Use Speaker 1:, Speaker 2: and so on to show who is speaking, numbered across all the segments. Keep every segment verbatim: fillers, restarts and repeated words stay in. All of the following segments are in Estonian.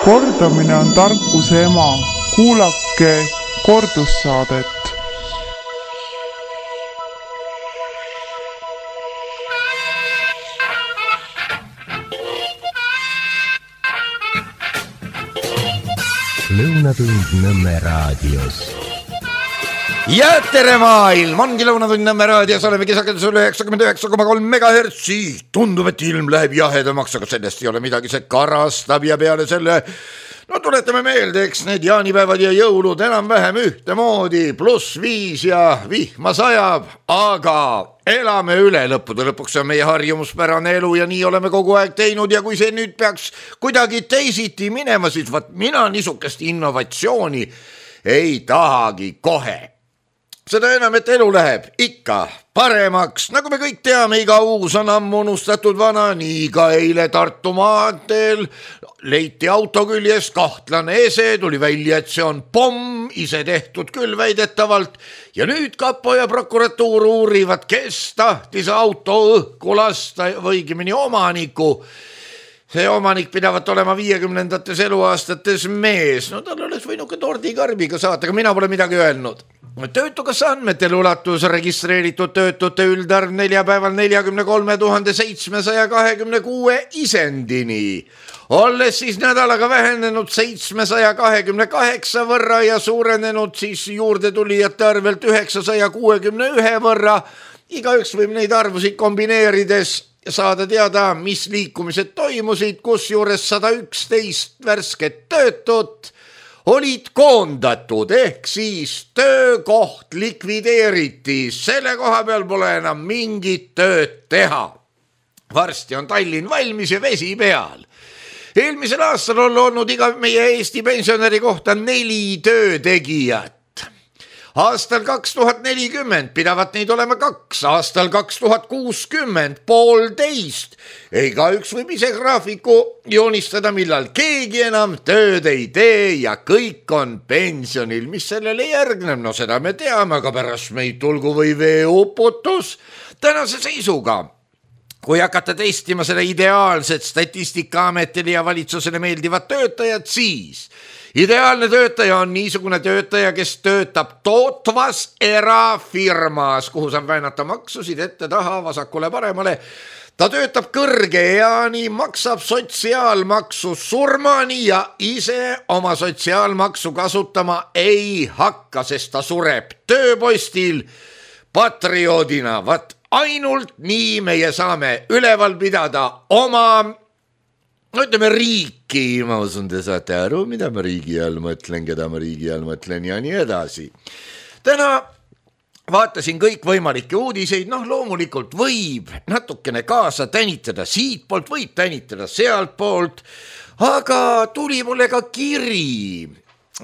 Speaker 1: Kordamine on tarkuse ema. Kuulake kordussaadet.
Speaker 2: Lõunatund Nõmme raadios.
Speaker 3: Ja tere maailm, ongi Lõunatund Nõmme raadios, oleme kisakendusel üheksakümmend üheksa koma kolm megahertsi. Tundub, et ilm läheb jahedamaks, aga sellest ei ole midagi, see karastab ja peale selle, no tuletame meelde, eks need jaanipäevad ja jõulud enam-vähem ühtemoodi, pluss viis ja vihma sajab, aga elame üle lõppude lõpuks, see on meie harjumuspärane elu ja nii oleme kogu aeg teinud ja kui see nüüd peaks kuidagi teisiti minema, siis vaat mina niisugust innovatsiooni ei tahagi kohe. Seda enam, et elu läheb ikka paremaks, nagu me kõik teame, iga uus on ammu unustatud vana, nii ka eile Tartu maanteel leiti auto küljes kahtlane ese, tuli välja, et see on pomm, ise tehtud küll väidetavalt, ja nüüd kapo ja prokuratuur uurivad, kes tahtis auto õhku lasta või õigemini omaniku. See omanik pidavat olema viiekümnendates eluaastates mees, no tal oleks võinud ka tordikarbiga saata, aga mina pole midagi öelnud. Töötukassa andmetel ulatus registreeritud töötute üldarv neljapäeval neljakümne kolme tuhande seitsmesaja kahekümne kuue isendini, olles siis nädalaga vähenenud seitsmesaja kahekümne kaheksa võrra ja suurenenud siis juurde tulijate arvelt üheksasaja kuuekümne ühe võrra. Igaüks võib neid arvusid kombineerides saada teada, mis liikumised toimusid, kus juures sada üksteist värsket töötut olid koondatud, ehk siis töökoht likvideeriti, selle koha peal pole enam mingit tööd teha. Varsti on Tallinn valmis ja vesi peal. Eelmisel aastal on olnud iga meie Eesti pensionäri kohta neli töötegijat. Aastal kaks tuhat nelikümmend pidavat neid olema kaks, aastal kaks tuhat kuuskümmend poolteist. Ega üks võib ise graafiku joonistada, millal keegi enam tööd ei tee ja kõik on pensionil. Mis sellele järgneb? No seda me teame, aga pärast meid tulgu või veeuputus. Tänase seisuga, kui hakata testima selle ideaalset Statistikaametile ja valitsusele meeldivat töötajat, siis ideaalne töötaja on niisugune töötaja, kes töötab tootvas erafirmas, kuhu saab väänata maksusid ette taha, vasakule paremale. Ta töötab kõrge eani, maksab sotsiaalmaksu surmani ja ise oma sotsiaalmaksu kasutama ei hakka, sest ta sureb tööpostil patrioodina. Vat ainult nii meie saame üleval pidada oma, no ütleme, riiki, ma usun, te saate aru, mida ma riigi all mõtlen, keda ma riigi all mõtlen ja nii edasi. Täna vaatasin kõik võimalikke uudiseid, noh loomulikult võib natukene kaasa tänitada siit poolt, võib tänitada sealt poolt, aga tuli mulle ka kiri,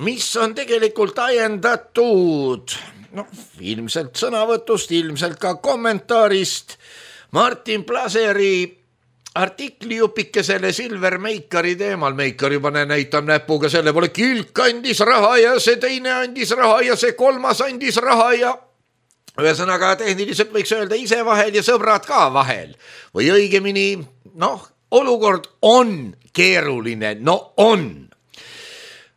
Speaker 3: mis on tegelikult ajendatud, noh ilmselt sõnavõtust, ilmselt ka kommentaarist Martin Plaseri artikli jupikesele Silver Meikari teemal. Meikar juba näitab näpuga selle pole, Kilk andis raha ja see teine andis raha ja see kolmas andis raha ja ühesõnaga tehniliselt võiks öelda ise vahel ja sõbrad ka vahel. Või õigemini, noh, olukord on keeruline, no on.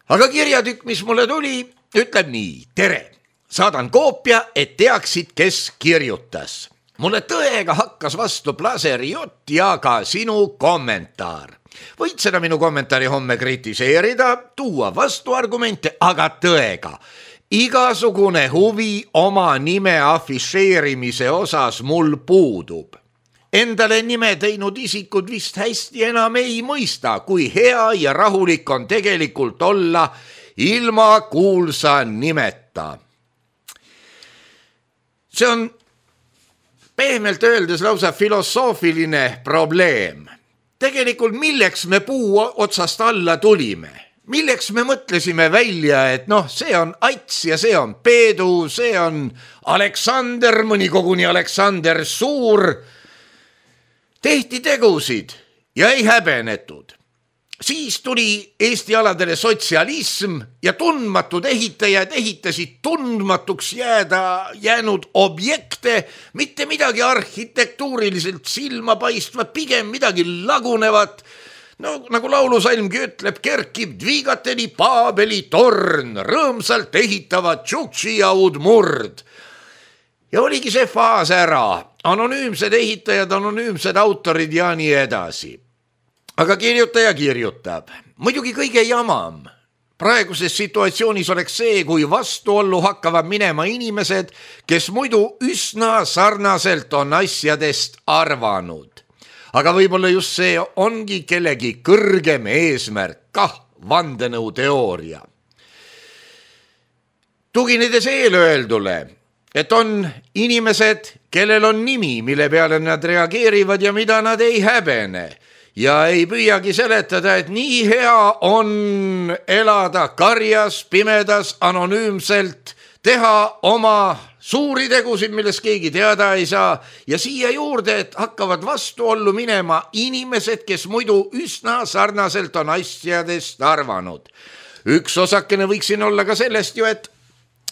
Speaker 3: Aga kirjatükk, mis mulle tuli, ütleb nii, tere, saadan koopia, et teaksid, kes kirjutas. Mulle tõega hakkas vastu Plaseri jutt ja ka sinu kommentaar. Võid seda minu kommentaari homme kritiseerida, tuua vastuargumente, aga tõega. Igasugune huvi oma nime afišeerimise osas mul puudub. Endale nime teinud isikud vist hästi enam ei mõista, kui hea ja rahulik on tegelikult olla ilma kuulsa nimeta. See on pehmelt öeldes lausa filosoofiline probleem. Tegelikult milleks me puu otsast alla tulime? Milleks me mõtlesime välja, et noh, see on Ats ja see on Peedu, see on Aleksander, mõni koguni Aleksander Suur. Tehti tegusid ja ei häbenetud. Siis tuli Eesti aladele sotsialism ja tundmatud ehitajad ehitasid tundmatuks jääda jäänud objekte, mitte midagi arhitektuuriliselt silma paistvat, pigem midagi lagunevat. no nagu laulusalmgi ütleb, kerkib Dvigateli Paabeli torn, rõõmsalt ehitavad Tšuktši ja Udmurd. Ja oligi see faas ära, anonüümsed ehitajad, anonüümsed autorid ja nii edasi. Aga kirjutaja kirjutab, muidugi kõige jamam. Praeguses situatsioonis oleks see, kui vastuollu hakkavad minema inimesed, kes muidu üsna sarnaselt on asjadest arvanud. Aga võib-olla just see ongi kellegi kõrgem eesmärk, kah vandenõuteooria. Tuginedes eelöeldule, et on inimesed, kellel on nimi, mille peale nad reageerivad ja mida nad ei häbene ja ei püüagi seletada, et nii hea on elada karjas, pimedas, anonüümselt, teha oma suuri tegusid, millest keegi teada ei saa ja siia juurde, et hakkavad vastuollu minema inimesed, kes muidu üsna sarnaselt on asjadest arvanud. Üks osakene võiks siin olla ka sellest ju, et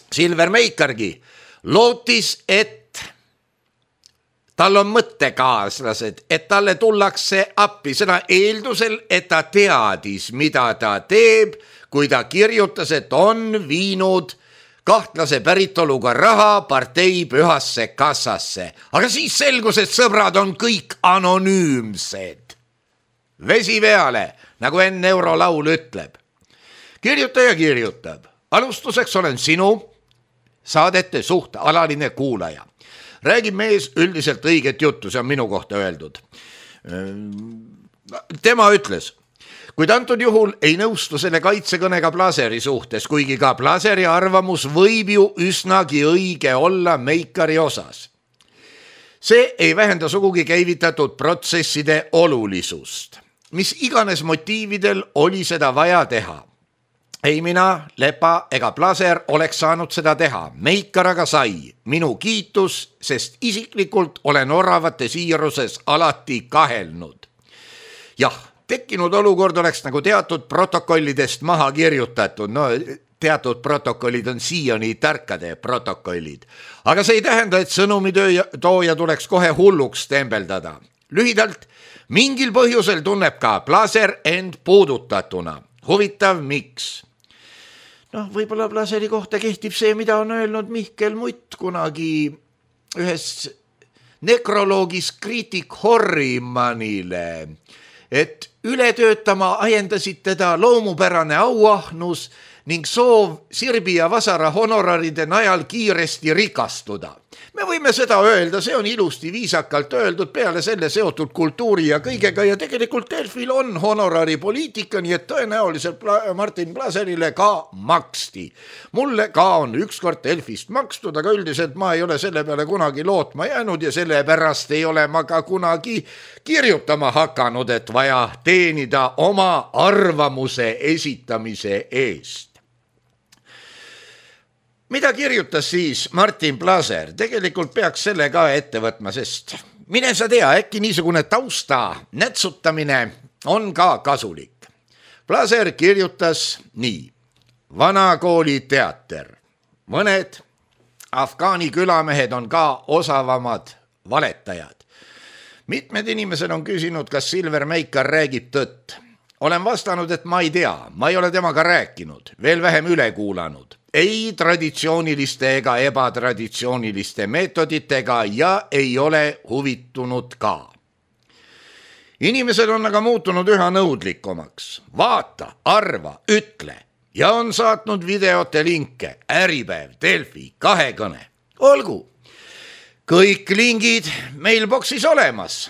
Speaker 3: Silver Meikargi lootis, et tal on mõttekaaslased, et talle tullakse appi, seda eeldusel, et ta teadis, mida ta teeb, kui ta kirjutas, et on viinud kahtlase päritoluga raha partei pühasse kassasse. Aga siis selgus, et sõbrad on kõik anonüümsed. Vesi peale, nagu enne eurolaul ütleb. Kirjutaja kirjutab, alustuseks olen sinu saadete suht alaline kuulaja. Räägib mees üldiselt õiget juttu, see on minu kohta öeldud. Tema ütles, kuid antud juhul ei nõustu selle kaitsekõnega Blaseri suhtes, kuigi ka Blaseri arvamus võib ju üsnagi õige olla Meikari osas. See ei vähenda sugugi käivitatud protsesside olulisust. Mis iganes motiividel oli seda vaja teha. Ei mina, Lepa ega Blaser oleks saanud seda teha. Meikar aga sai. Minu kiitus, sest isiklikult olen oravate siiruses alati kahelnud. Jah, tekkinud olukord oleks nagu teatud protokollidest maha kirjutatud. No, teatud protokollid on siiani tarkade protokollid. Aga see ei tähenda, et sõnumitooja tuleks kohe hulluks tembeldada. Lühidalt, mingil põhjusel tunneb ka Blaser end puudutatuna. Huvitav, miks? Noh, võib-olla Blaseri kohta kehtib see, mida on öelnud Mihkel Mutt kunagi ühes nekroloogis kriitik Horrimanile, et üle töötama ajendasid teda loomupärane auahnus ning soov Sirbi ja Vasara honoraride najal kiiresti rikastuda. Me võime seda öelda, see on ilusti viisakalt öeldud, peale selle seotud kultuuri ja kõigega ja tegelikult Delfil on honorari poliitika, nii et tõenäoliselt Martin Blaserile ka maksti. Mulle ka on ükskord Delfist makstud, aga üldiselt ma ei ole selle peale kunagi lootma jäänud ja sellepärast ei ole ma ka kunagi kirjutama hakanud, et vaja teenida oma arvamuse esitamise eest. Mida kirjutas siis Martin Blaser? Tegelikult peaks selle ka ette võtma, sest mine sa tea, äkki niisugune tausta nätsutamine on ka kasulik. Blaser kirjutas nii. Vanakooli teater. Mõned Afgaani külamehed on ka osavamad valetajad. Mitmed inimesed on küsinud, kas Silver Meikar räägib tõtt. Olen vastanud, et ma ei tea, ma ei ole temaga rääkinud, veel vähem üle kuulanud. Ei traditsiooniliste ega ebatraditsiooniliste meetoditega ja ei ole huvitunud ka. Inimesed on aga muutunud üha nõudlikumaks. Vaata, arva, ütle ja on saatnud videote linke, Äripäev, Delfi, kahekõne. Olgu, kõik lingid mailboxis olemas.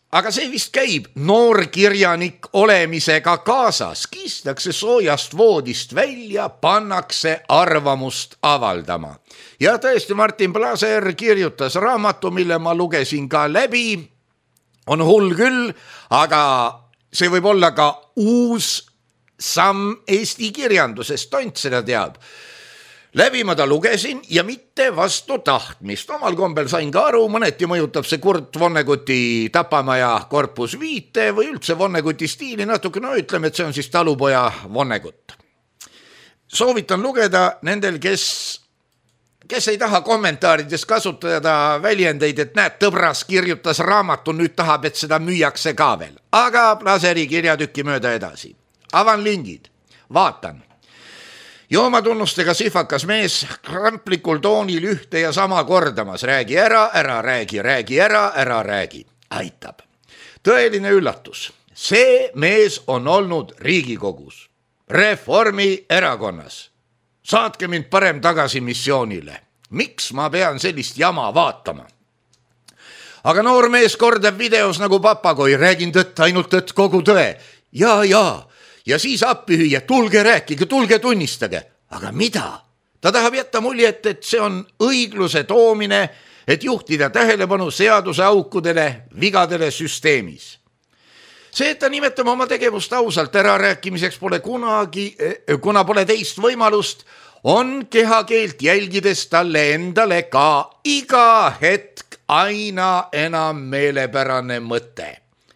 Speaker 3: Aga see vist käib noorkirjanik olemisega kaasas, kistakse soojast voodist välja, pannakse arvamust avaldama. Ja tõesti Martin Blaser kirjutas raamatu, mille ma lugesin ka läbi, on hull küll, aga see võib olla ka uus samm Eesti kirjandusest, tont seda teab. Läbi ma ta lugesin ja mitte vastu tahtmist. Omal kombel sain ka aru, mõneti mõjutab see Kurt Vonneguti Tapamaja korpus viite või üldse Vonneguti stiili natuke, no ütleme, et see on siis talupoja Vonnegut. Soovitan lugeda nendel, kes kes ei taha kommentaarides kasutada väljendeid, et näed, tõbras kirjutas raamatu, nüüd tahab, et seda müüakse ka veel. Aga Plaseri kirjatükki mööda edasi. Avan lingid, vaatan. Joomatunnustega sihvakas mees kramplikul toonil ühte ja sama kordamas. Räägi ära, ära räägi, räägi ära, ära räägi. Aitab. Tõeline üllatus. See mees on olnud Riigikogus, Reformi erakonnas. Saatke mind parem tagasi missioonile. Miks ma pean sellist jama vaatama? Aga noor mees kordab videos nagu papagoi, räägin tõtt, ainult tõtt, kogu tõe. Ja, ja. Ja siis appi hüüa, tulge rääkige, tulge tunnistage. Aga mida? Ta tahab jätta muljet, et see on õigluse toomine, et juhtida tähelepanu seaduse aukudele, vigadele süsteemis. See, et ta nimetame oma tegevust ausalt ära rääkimiseks pole kunagi, kuna pole teist võimalust, on kehakeelt jälgides talle endale ka iga hetk aina enam meelepärane mõte.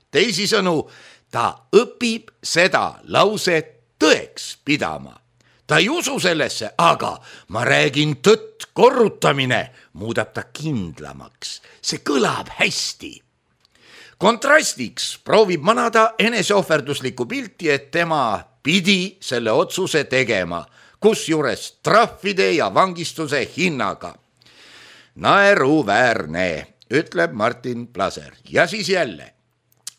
Speaker 3: Teisisõnu, ta õpib seda lauset tõeks pidama. Ta ei usu sellesse, aga ma räägin tõtt, korrutamine muudab ta kindlamaks. See kõlab hästi. Kontrastiks proovib manada eneseohverduslikku pilti, et tema pidi selle otsuse tegema, kus juures trahvide ja vangistuse hinnaga. Naeruväärne, ütleb Martin Plaser. Ja siis jälle.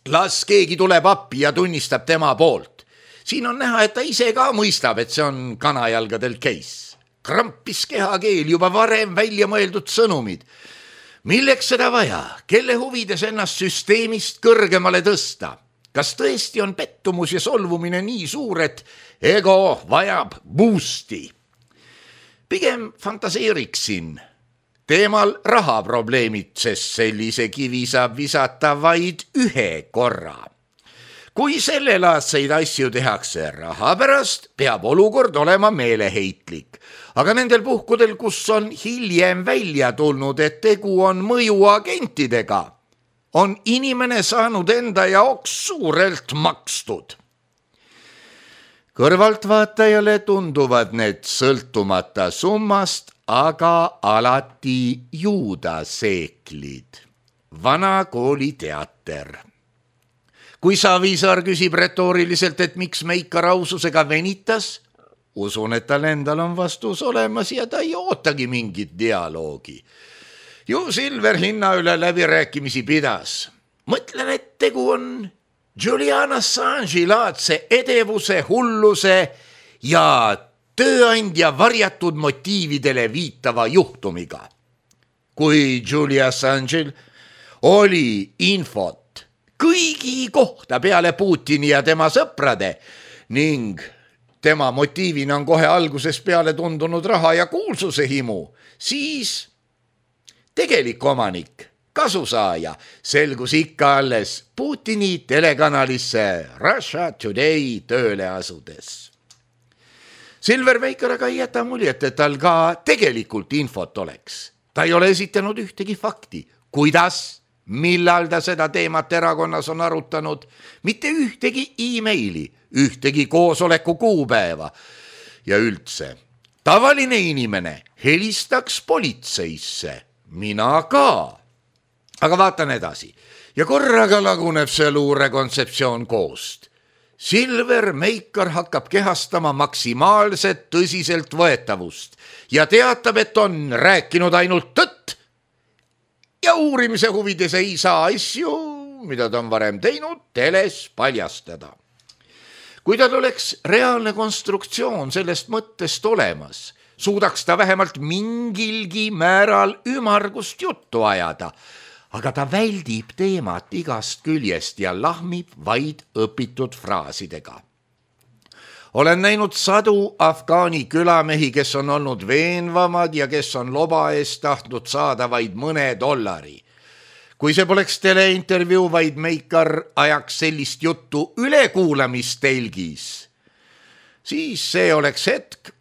Speaker 3: Las keegi tuleb appi ja tunnistab tema poolt. Siin on näha, et ta ise ka mõistab, et see on kanajalgadel case. Krampis kehakeel juba varem välja mõeldud sõnumid. Milleks seda vaja? Kelle huvides ennast süsteemist kõrgemale tõsta? Kas tõesti on pettumus ja solvumine nii suur, et ego vajab boosti? Pigem fantaseeriksin teemal rahaprobleemid, sest sellise kivi saab visata vaid ühe korra. Kui sellelaadseid asju tehakse raha pärast, peab olukord olema meeleheitlik. Aga nendel puhkudel, kus on hiljem välja tulnud, et tegu on mõjuagentidega, on inimene saanud enda jaoks suurelt makstud. Kõrvaltvaatajale tunduvad need sõltumata summast, aga alati juudaseeklid. Vana kooli teater. Kui Savisaar küsib retooriliselt, et miks Meikar aususega venitas, usun, et tal endal on vastus olemas ja ta ei ootagi mingit dialoogi. Ju Silver hinna üle läbirääkimisi pidas. Mõtlen, et tegu on Julian Assange'i laadse edevuse, hulluse ja tööandja varjatud motiividele viitava juhtumiga. Kui Julian Assange'il oli infot kõigi kohta peale Putini ja tema sõprade ning tema motiivina on kohe alguses peale tundunud raha ja kuulsuse himu, siis tegelik omanik, kasusaaja, selgus ikka alles Putini telekanalisse Russia Today tööle asudes. Silver Meikar aga ei jäta muljet, et tal ka tegelikult infot oleks. Ta ei ole esitanud ühtegi fakti, kuidas, millal ta seda teemat erakonnas on arutanud, mitte ühtegi e-maili, ühtegi koosoleku kuupäeva ja üldse. Tavaline inimene helistaks politseisse, mina ka. Aga vaatan edasi ja korraga laguneb see luure kontseptsioon koost. Silver Meikar hakkab kehastama maksimaalset tõsiselt võetavust ja teatab, et on rääkinud ainult tõtt ja uurimise huvides ei saa asju, mida ta on varem teinud, teles paljastada. Kui tal oleks reaalne konstruktsioon sellest mõttest olemas, suudaks ta vähemalt mingilgi määral ümargust juttu ajada, aga ta väldib teemat igast küljest ja lahmib vaid õpitud fraasidega. Olen näinud sadu Afgaani külamehi, kes on olnud veenvamad ja kes on loba eest tahtnud saada vaid mõne dollari. Kui see poleks teleintervjuu, vaid Meikar ajaks sellist juttu ülekuulamistelgis, siis see oleks hetk,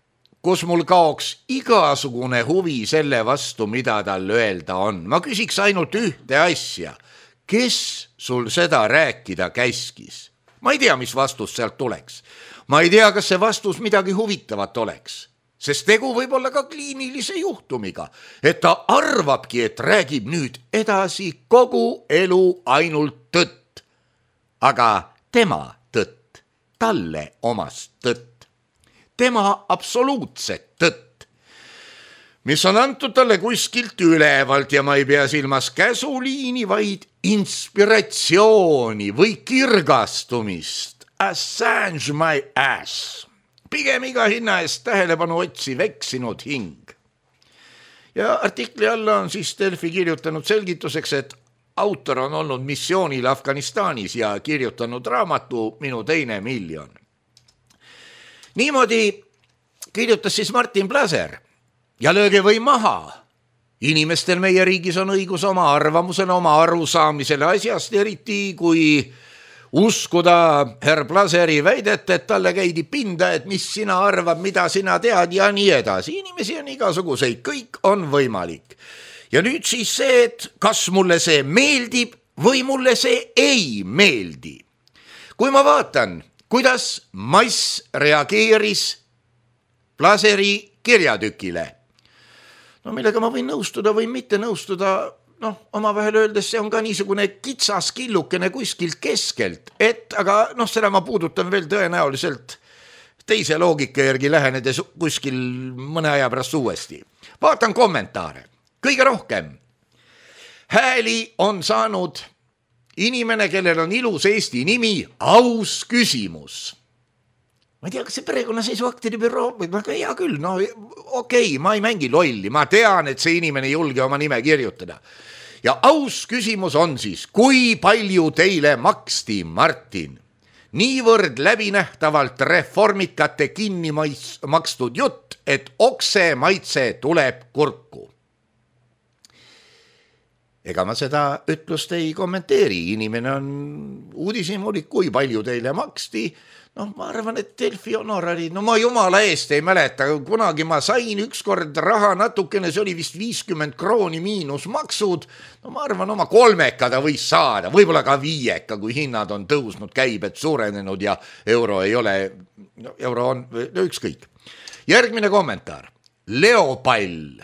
Speaker 3: kus mul kaoks igasugune huvi selle vastu, mida tal öelda on. Ma küsiks ainult ühte asja. Kes sul seda rääkida käskis? Ma ei tea, mis vastus sealt tuleks. Ma ei tea, kas see vastus midagi huvitavat oleks. sest tegu võib olla ka kliinilise juhtumiga, et ta arvabki, et räägib nüüd edasi kogu elu ainult tõtt. Aga tema tõtt, talle omast tõtt, tema absoluutset tõtt, mis on antud talle kuskilt ülevalt ja ma ei pea silmas käsuliini, vaid inspiratsiooni või kirgastumist. Assange my ass. Pigem iga hinna eest tähelepanu otsiv eksinud hing. Ja artikli alla on siis Delfi kirjutanud selgituseks, et autor on olnud missioonil Afganistanis ja kirjutanud raamatu Minu teine miljon. Niimoodi kirjutas siis Martin Plaser ja lööge või maha. Inimestel meie riigis on õigus oma arvamusele, oma arusaamisele asjast, eriti kui uskuda herr Plaseri väidet, et talle käidi pinda, et mis sina arvad, mida sina tead ja nii edasi. Inimesi on igasuguseid, kõik on võimalik. Ja nüüd siis see, et kas mulle see meeldib või mulle see ei meeldi. Kui ma vaatan, kuidas mass reageeris Plaseri kirjatükile, no millega ma võin nõustuda või mitte nõustuda, noh, omavahel öeldes see on ka niisugune kitsas killukene kuskilt keskelt, et aga noh, seda ma puudutan veel tõenäoliselt teise loogika järgi lähenedes kuskil mõne aja pärast uuesti. Vaatan kommentaare. Kõige rohkem hääli on saanud inimene, kellel on ilus Eesti nimi, Aus küsimus. Ma ei tea, kas see perekonnaseisuaktide büroo, aga hea küll, no okei, okay, ma ei mängi lolli, ma tean, et see inimene ei julge oma nime kirjutada. Ja aus küsimus on siis, kui palju teile maksti, Martin? Niivõrd läbinähtavalt reformikate kinni makstud jutt, et okse maitse tuleb kurku. Ega ma seda ütlust ei kommenteeri, inimene on uudishimulik, kui palju teile maksti. Noh, ma arvan, et Delfi honorari, no ma jumala eest ei mäleta, kunagi ma sain ükskord raha natukene, see oli vist viiskümmend krooni miinus maksud, no ma arvan, oma kolmeka ta võis saada, võib-olla ka viieka, kui hinnad on tõusnud, käibed suurenenud ja euro ei ole, no, euro on no, ükskõik. Järgmine kommentaar, Leopall.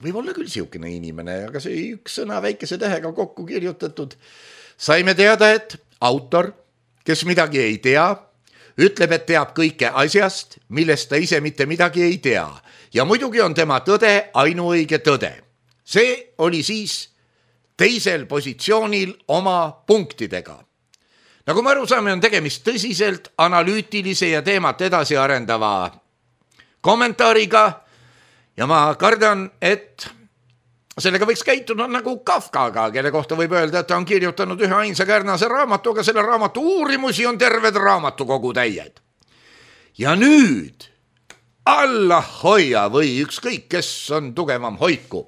Speaker 3: Võib olla küll siukene inimene, aga see üks sõna väikese tähega kokku kirjutatud. Saime teada, et autor, kes midagi ei tea, ütleb, et teab kõike asjast, millest ta ise mitte midagi ei tea. Ja muidugi on tema tõde ainuõige tõde. See oli siis teisel positsioonil oma punktidega. Nagu me aru saame, on tegemist tõsiselt analüütilise ja teemat edasi arendava kommentaariga ja ma kardan, et sellega võiks käituda nagu Kafkaga, kelle kohta võib öelda, et ta on kirjutanud ühe ainsa kärnase raamatu, aga selle raamatu uurimusi on terved raamatukogu täied. Ja nüüd Allah hoia või ükskõik, kes on tugevam hoiku,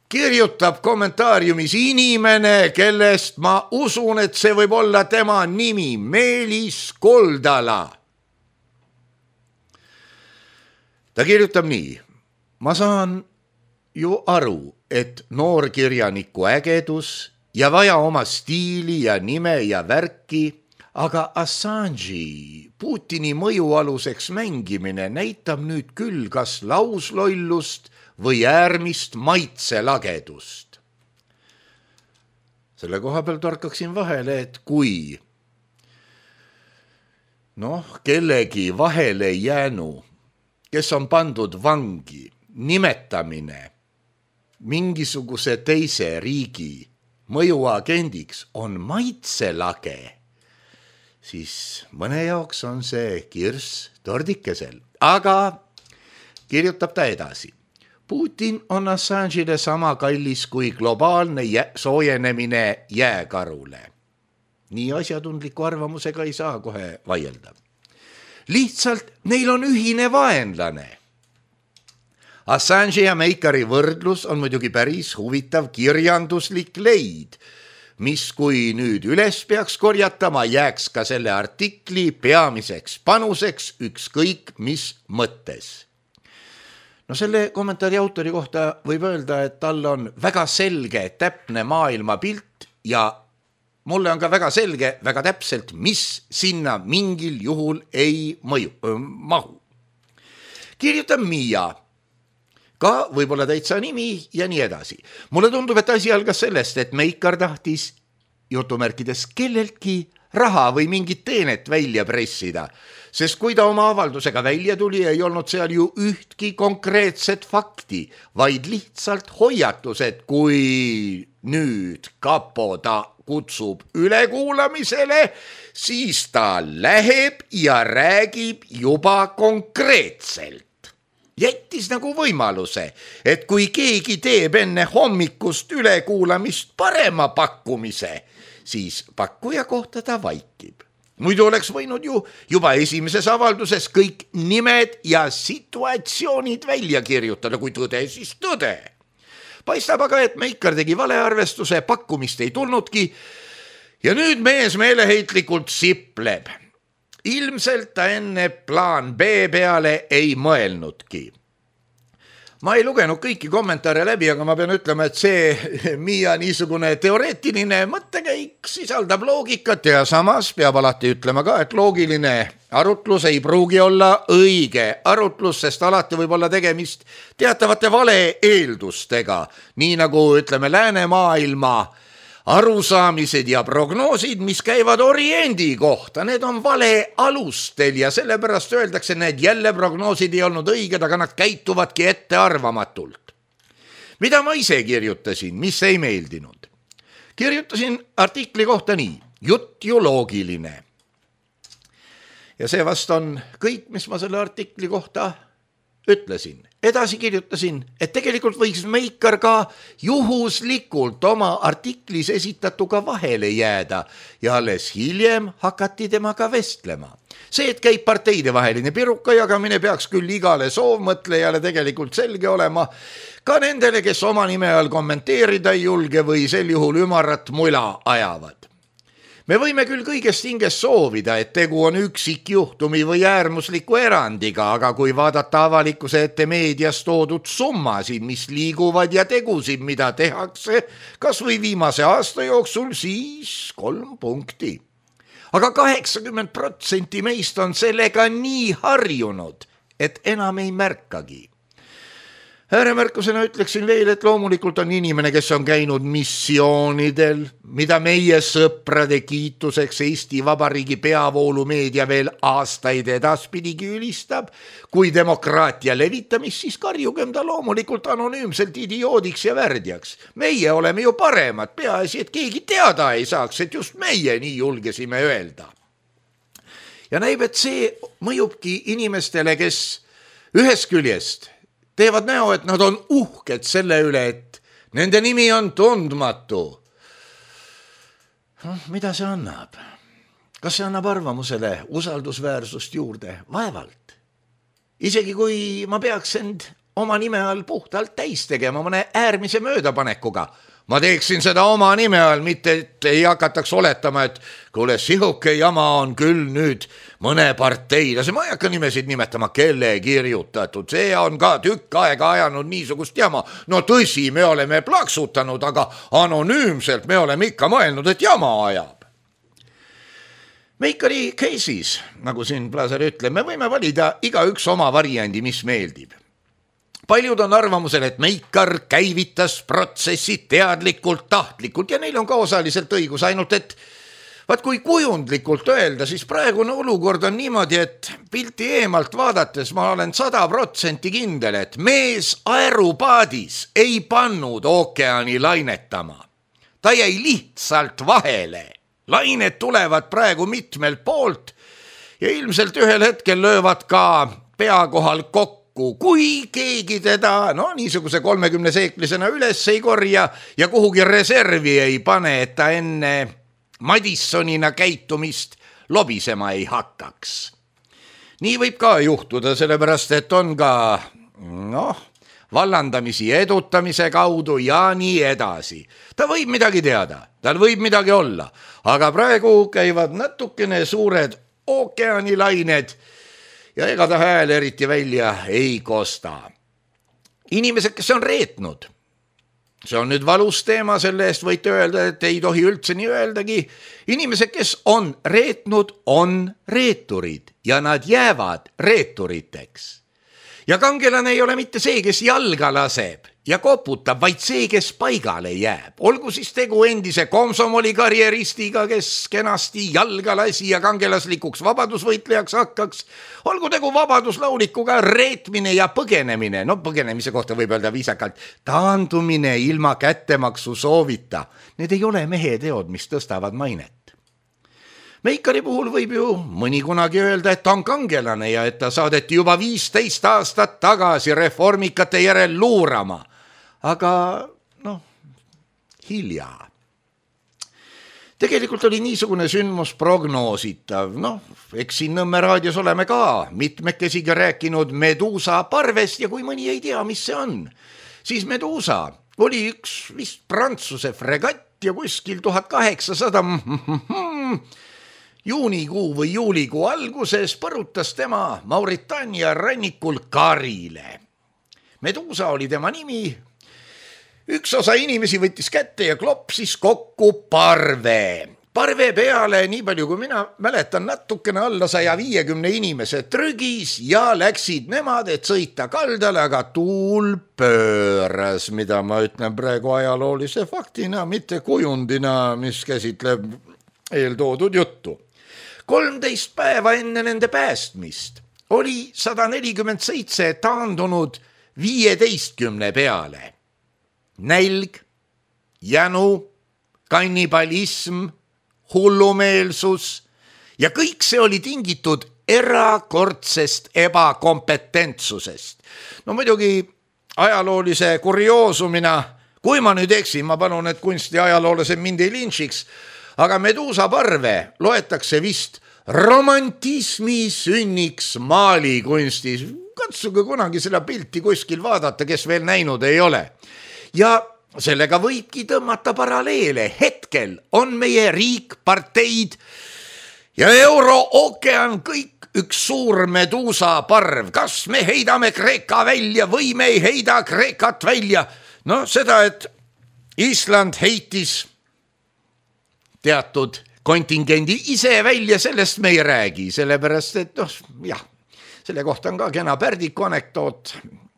Speaker 3: kirjutab kommentaariumis inimene, kellest ma usun, et see võib olla tema nimi, Meelis Koldala. Ta kirjutab nii, ma saan ju aru, et noorkirjaniku ägedus ja vaja oma stiili ja nime ja värki, aga Assange'i Putini mõjualuseks mängimine näitab nüüd küll kas lauslollust või äärmist maitselagedust. Selle koha peal torkaksin vahele, et kui noh, kellegi vahele jäänu, kes on pandud vangi, nimetamine mingisuguse teise riigi mõjuagendiks on maitselage, siis mõne jaoks on see kirss tordikesel. Aga kirjutab ta edasi. Putin on Assange'ile sama kallis kui globaalne jä- soojenemine jääkarule. Nii asjatundliku arvamusega ei saa kohe vaielda. Lihtsalt neil on ühine vaenlane. Assange ja Meikari võrdlus on muidugi päris huvitav kirjanduslik leid, mis kui nüüd üles peaks korjatama, jääks ka selle artikli peamiseks panuseks ükskõik mis mõttes. No selle kommentaari autori kohta võib öelda, et tal on väga selge, täpne maailmapilt ja mulle on ka väga selge, väga täpselt, mis sinna mingil juhul ei mõju, mahu. kirjutab Miia, ka võib-olla täitsa nimi ja nii edasi. Mulle tundub, et asi algas sellest, et Meikar tahtis jutumärkides kelleltki raha või mingit teenet välja pressida, sest kui ta oma avaldusega välja tuli, ei olnud seal ju ühtki konkreetset fakti, vaid lihtsalt hoiatused, kui nüüd kapo ta kutsub ülekuulamisele, siis ta läheb ja räägib juba konkreetselt. Jättis nagu võimaluse, et kui keegi teeb enne hommikust ülekuulamist parema pakkumise, siis pakkuja kohta ta vaikib. Muidu oleks võinud ju juba esimeses avalduses kõik nimed ja situatsioonid välja kirjutada, kui tõde, siis tõde. Paistab aga, et Meikar tegi valearvestuse, pakkumist ei tulnudki ja nüüd mees meeleheitlikult sipleb. Ilmselt ta enne plaan B peale ei mõelnudki. Ma ei lugenud kõiki kommentaare läbi, aga ma pean ütlema, et see Miia niisugune teoreetiline mõttekäik sisaldab loogikat ja samas peab alati ütlema ka, et loogiline arutlus ei pruugi olla õige arutlus, sest alati võib olla tegemist teatavate vale eeldustega, nii nagu ütleme läänemaailma arusaamised ja prognoosid, mis käivad oriendi kohta, need on vale alustel ja sellepärast öeldakse, need jälle prognoosid ei olnud õiged, aga nad käituvadki ettearvamatult. Mida ma ise kirjutasin, mis ei meeldinud? Kirjutasin artikli kohta nii, jutt ju loogiline. Ja see vast on kõik, mis ma selle artikli kohta ütlesin. Edasi kirjutasin, et tegelikult võiks Meikar ka juhuslikult oma artiklis esitatuga vahele jääda ja alles hiljem hakati temaga vestlema. See, et käib parteide vaheline piruka jagamine, peaks küll igale soovmõtlejale tegelikult selge olema, ka nendele, kes oma nime all kommenteerida ei julge või sel juhul ümarat mula ajavad. Me võime küll kõigest hingest soovida, et tegu on üksikjuhtumi või äärmusliku erandiga, aga kui vaadata avalikkuse ette meedias toodud summasid, mis liiguvad ja tegusid, mida tehakse, kas või viimase aasta jooksul, siis kolm punkti. Aga kaheksakümmend protsenti meist on sellega nii harjunud, et enam ei märkagi. Ääremärkusena ütleksin veel, et loomulikult on inimene, kes on käinud missioonidel, mida meie sõprade kiituseks Eesti Vabariigi peavoolumeedia veel aastaid edaspidigi ülistab. Kui demokraatia levitamist, siis karjugem ta loomulikult anonüümselt idioodiks ja värdjaks. Meie oleme ju paremad, peaasi, et keegi teada ei saaks, et just meie nii julgesime öelda. Ja näib, et see mõjubki inimestele, kes ühest küljest teevad näo, et nad on uhked selle üle, et nende nimi on tundmatu. No, mida see annab? Kas see annab arvamusele usaldusväärsust juurde? Vaevalt. Isegi kui ma peaks end oma nime all puhtalt täis tegema mõne äärmise möödapanekuga, ma teeksin seda oma nime all, mitte et ei hakataks oletama, et kuule, sihuke jama on küll nüüd mõne partei, lase ma ei hakka nimesid nimetama, kelle kirjutatud, see on ka tükk aega ajanud niisugust jama. No tõsi, me oleme plaksutanud, aga anonüümselt me oleme ikka mõelnud, et jama ajab. Meikari case'is, nagu siin Plazer ütleb, me võime valida iga üks oma variandi, mis meeldib. Paljud on arvamusel, et Meikar käivitas protsessi teadlikult, tahtlikult ja neil on ka osaliselt õigus, ainult et vaat kui kujundlikult öelda, siis praegune olukord on niimoodi, et pilti eemalt vaadates ma olen sada protsenti kindel, et mees aerupaadis ei pannud ookeani lainetama. Ta jäi lihtsalt vahele. Lained tulevad praegu mitmelt poolt ja ilmselt ühel hetkel löövad ka pea kohal kokku. Kui keegi teda no, niisuguse kolmekümne seeklisena üles ei korja ja kuhugi reservi ei pane, et ta enne Madissonina käitumist lobisema ei hakkaks. Nii võib ka juhtuda, sellepärast et on ka noh, vallandamisi edutamise kaudu ja nii edasi. Ta võib midagi teada, tal võib midagi olla, aga praegu käivad natukene suured ookeanilained ja ega ta hääl eriti välja ei kosta. Inimesed, kes on reetnud, see on nüüd valus teema, selle eest võite öelda, et ei tohi üldse nii öeldagi. Inimesed, kes on reetnud, on reeturid ja nad jäävad reeturiteks. ja kangelane ei ole mitte see, kes jalga laseb ja koputab, vaid see, kes paigale jääb. Olgu siis tegu endise komsomoli karjeristiga, kes kenasti jalga lasi ja kangelaslikuks vabadusvõitlejaks hakkaks. Olgu tegu vabaduslaulikuga reetmine ja põgenemine. No põgenemise kohta võib öelda viisakalt taandumine ilma kättemaksu soovita. Need ei ole mehe teod, mis tõstavad mainet. Meikari puhul võib ju mõni kunagi öelda, et ta on kangelane ja et ta saadeti juba viisteist aastat tagasi reformikate järel luurama. Aga noh, hilja. Tegelikult oli niisugune sündmus prognoositav. Noh, eks siin Nõmme raadios oleme ka mitmekesiga rääkinud Medusa parvest ja kui mõni ei tea, mis see on, siis Medusa oli üks vist Prantsuse fregatt ja kuskil tuhat kaheksasada juunikuu või juulikuu alguses põrutas tema Mauritaania rannikul Karile. Medusa oli tema nimi. Üks osa inimesi võttis kätte ja klopsis kokku parve. Parve peale, nii palju kui mina mäletan, natukene alla saja viiekümne inimese trügis ja läksid nemad, et sõita kaldale, aga tuul pööras, mida ma ütlen praegu ajaloolise faktina, mitte kujundina, mis käsitleb eeltoodud juttu. kolmteist päeva enne nende päästmist oli sada nelikümmend seitse taandunud viieteistkümne peale. Nälg, jänu, kannibalism, hullumeelsus ja kõik see oli tingitud erakordsest ebakompetentsusest. No muidugi ajaloolise kurioosumina, kui ma nüüd eksin, ma palun, et kunsti ajaloolased mind ei lynchiks, aga Medusa parve loetakse vist romantismi sünniks maalikunstis. Katsuge kunagi seda pilti kuskil vaadata, kes veel näinud ei ole. Ja sellega võibki tõmmata paralleele. Hetkel on meie riik, parteid ja Euro-ookean kõik üks suur Medusa parv. Kas me heidame Kreeka välja või me ei heida Kreekat välja? No seda, et Island heitis teatud kontingendi ise välja, sellest me ei räägi, sellepärast, et noh, jah, selle kohta on ka kena Pärdiku anekdoot.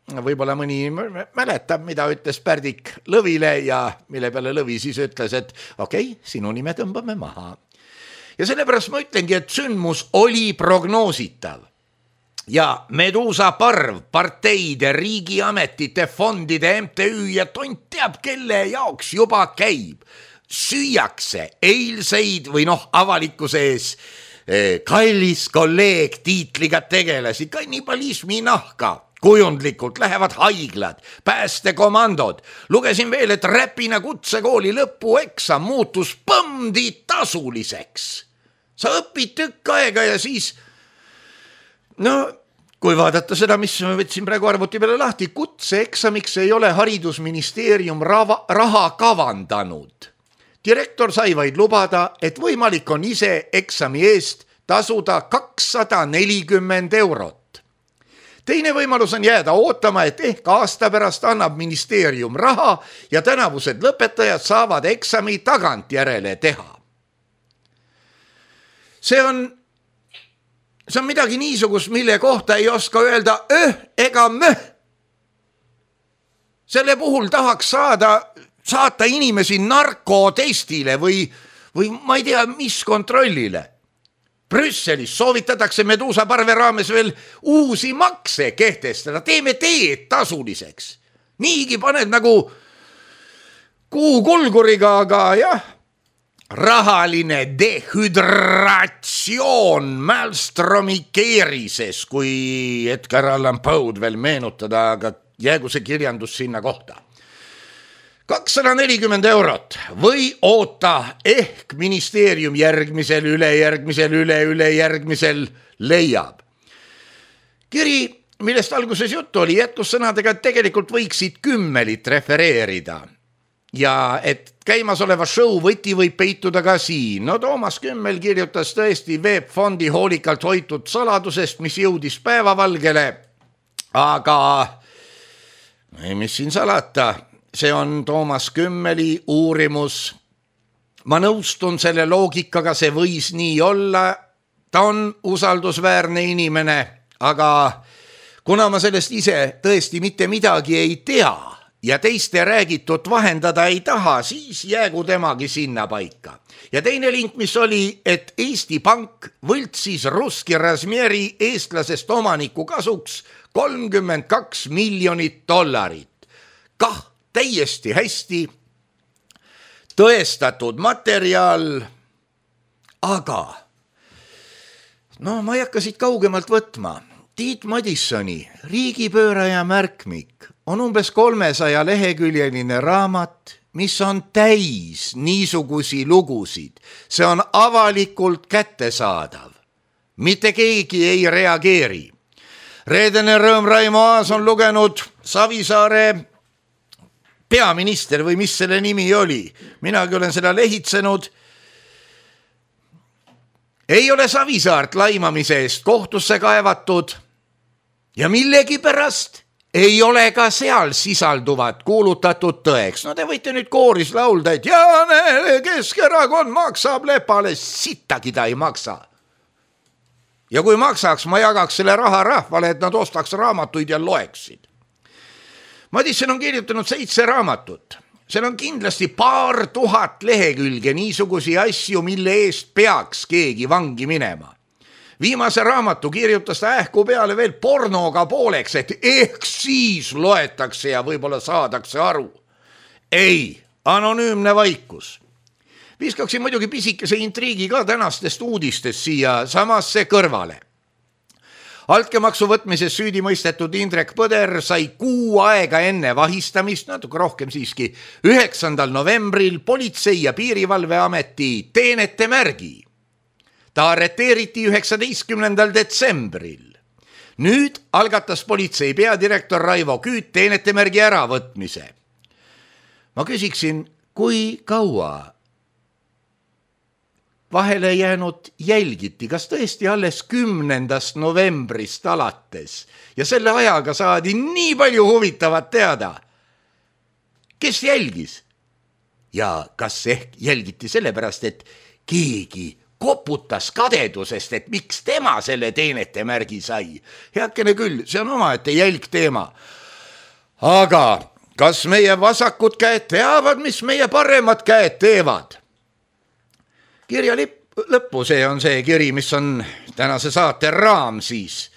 Speaker 3: Võib-olla mõni mäletab, mida ütles Pärdik Lõvile ja mille peale Lõvi siis ütles, et okei, okay, sinu nime tõmbame maha. Ja sellepärast ma ütlengi, et sündmus oli prognoositav. Ja Medusa parv, parteide, riigiametite, fondide, M T Ü ja tont teab, kelle jaoks juba käib. Süüakse eilseid või noh, avalikkuse ees eh, kallis kolleeg tiitliga tegelasi, kannibalismi nahka, kujundlikult lähevad haiglad, päästekomandod. Lugesin veel, et Räpina kutsekooli lõpueksam muutus põmdi tasuliseks. Sa õpid tükk aega ja siis, no kui vaadata seda, mis ma võtsin praegu arvuti peale lahti, kutseeksamiks ei ole haridusministeerium rava, raha kavandanud. Direktor sai vaid lubada, et võimalik on ise eksami eest tasuda kakssada nelikümmend eurot. Teine võimalus on jääda ootama, et ehk aasta pärast annab ministeerium raha ja tänavused lõpetajad saavad eksami tagantjärele teha. See on, see on midagi niisugust, mille kohta ei oska öelda öh ega möh. Selle puhul tahaks saada saata inimesi narkotestile või, või ma ei tea, mis kontrollile. Brüsselis soovitatakse Medusa parve raames veel uusi makse kehtestada. Teeme teed tasuliseks. Niigi paned nagu kuukulguriga, aga jah, rahaline dehydratsioon Malmstromi keerises, kui Edgar Allan Poe'd veel meenutada, aga jäägu see kirjandus sinna kohta. kakssada nelikümmend eurot või oota ehk ministeerium järgmisel, ülejärgmisel, üle, ülejärgmisel leiab. Kiri, millest alguses juttu oli, jätkus sõnadega, et tegelikult võiksid kümmelit refereerida. Ja et käimasoleva show võti võib peituda ka siin. No Toomas Kümmel kirjutas tõesti Veeb Fondi hoolikalt hoitud saladusest, mis jõudis päevavalgele. Aga mis siin salata? See on Toomas Kümmeli uurimus. Ma nõustun selle loogikaga, see võis nii olla. Ta on usaldusväärne inimene, aga kuna ma sellest ise tõesti mitte midagi ei tea ja teiste räägitut vahendada ei taha, siis jäägu temagi sinna paika. Ja teine link, mis oli, et Eesti Pank võltsis Ruski Razmieri eestlasest omaniku kasuks kolmkümmend kaks miljonit dollarit. Kah täiesti hästi tõestatud materjal, aga no ma ei hakka siit kaugemalt võtma. Tiit Madissoni Riigipööraja märkmik on umbes kolmesaja leheküljeline raamat, mis on täis niisugusi lugusid. See on avalikult kättesaadav. Mitte keegi ei reageeri. Reedene Rõõm Raimo Aas on lugenud Savisaare peaminister või mis selle nimi oli. Minagi olen seda lehitsenud. Ei ole Savisaart laimamise eest kohtusse kaevatud ja millegi pärast ei ole ka seal sisalduvat kuulutatud tõeks. No te võite nüüd kooris laulda, et Jaane Keskerakond maksab Lepale, sittagi ta ei maksa. Ja kui maksaks, ma jagaks selle raha rahvale, et nad ostaks raamatuid ja loeksid. Madisson on kirjutanud seitse raamatut. Seal on kindlasti paar tuhat lehekülge niisugusi asju, mille eest peaks keegi vangi minema. Viimase raamatu kirjutas ta ähku peale veel pornoga pooleks, et ehk siis loetakse ja võib-olla saadakse aru. Ei, anonüümne vaikus. Viskaksin muidugi pisikese intriigi ka tänastest uudistest siia samasse kõrvale. Altkäemaksu võtmises süüdi mõistetud Indrek Põder sai kuu aega enne vahistamist, natuke rohkem siiski, üheksandal novembril Politsei- ja Piirivalveameti teenete märgi. Ta arreteeriti üheksateistkümnendal detsembril. Nüüd algatas politsei peadirektor Raivo Küüt teenete märgi äravõtmise. Ma küsiksin, kui kaua vahele jäänud jälgiti, kas tõesti alles kümnendast novembrist alates ja selle ajaga saadi nii palju huvitavat teada. Kes jälgis? Ja kas ehk jälgiti sellepärast, et keegi koputas kadedusest, et miks tema selle teenete märgi sai. Heakene küll, see on omaette jälg teema. Aga kas meie vasakud käed teavad, mis meie paremad käed teevad? Kirja lõppu, see on see kiri, mis on tänase saate raam siis,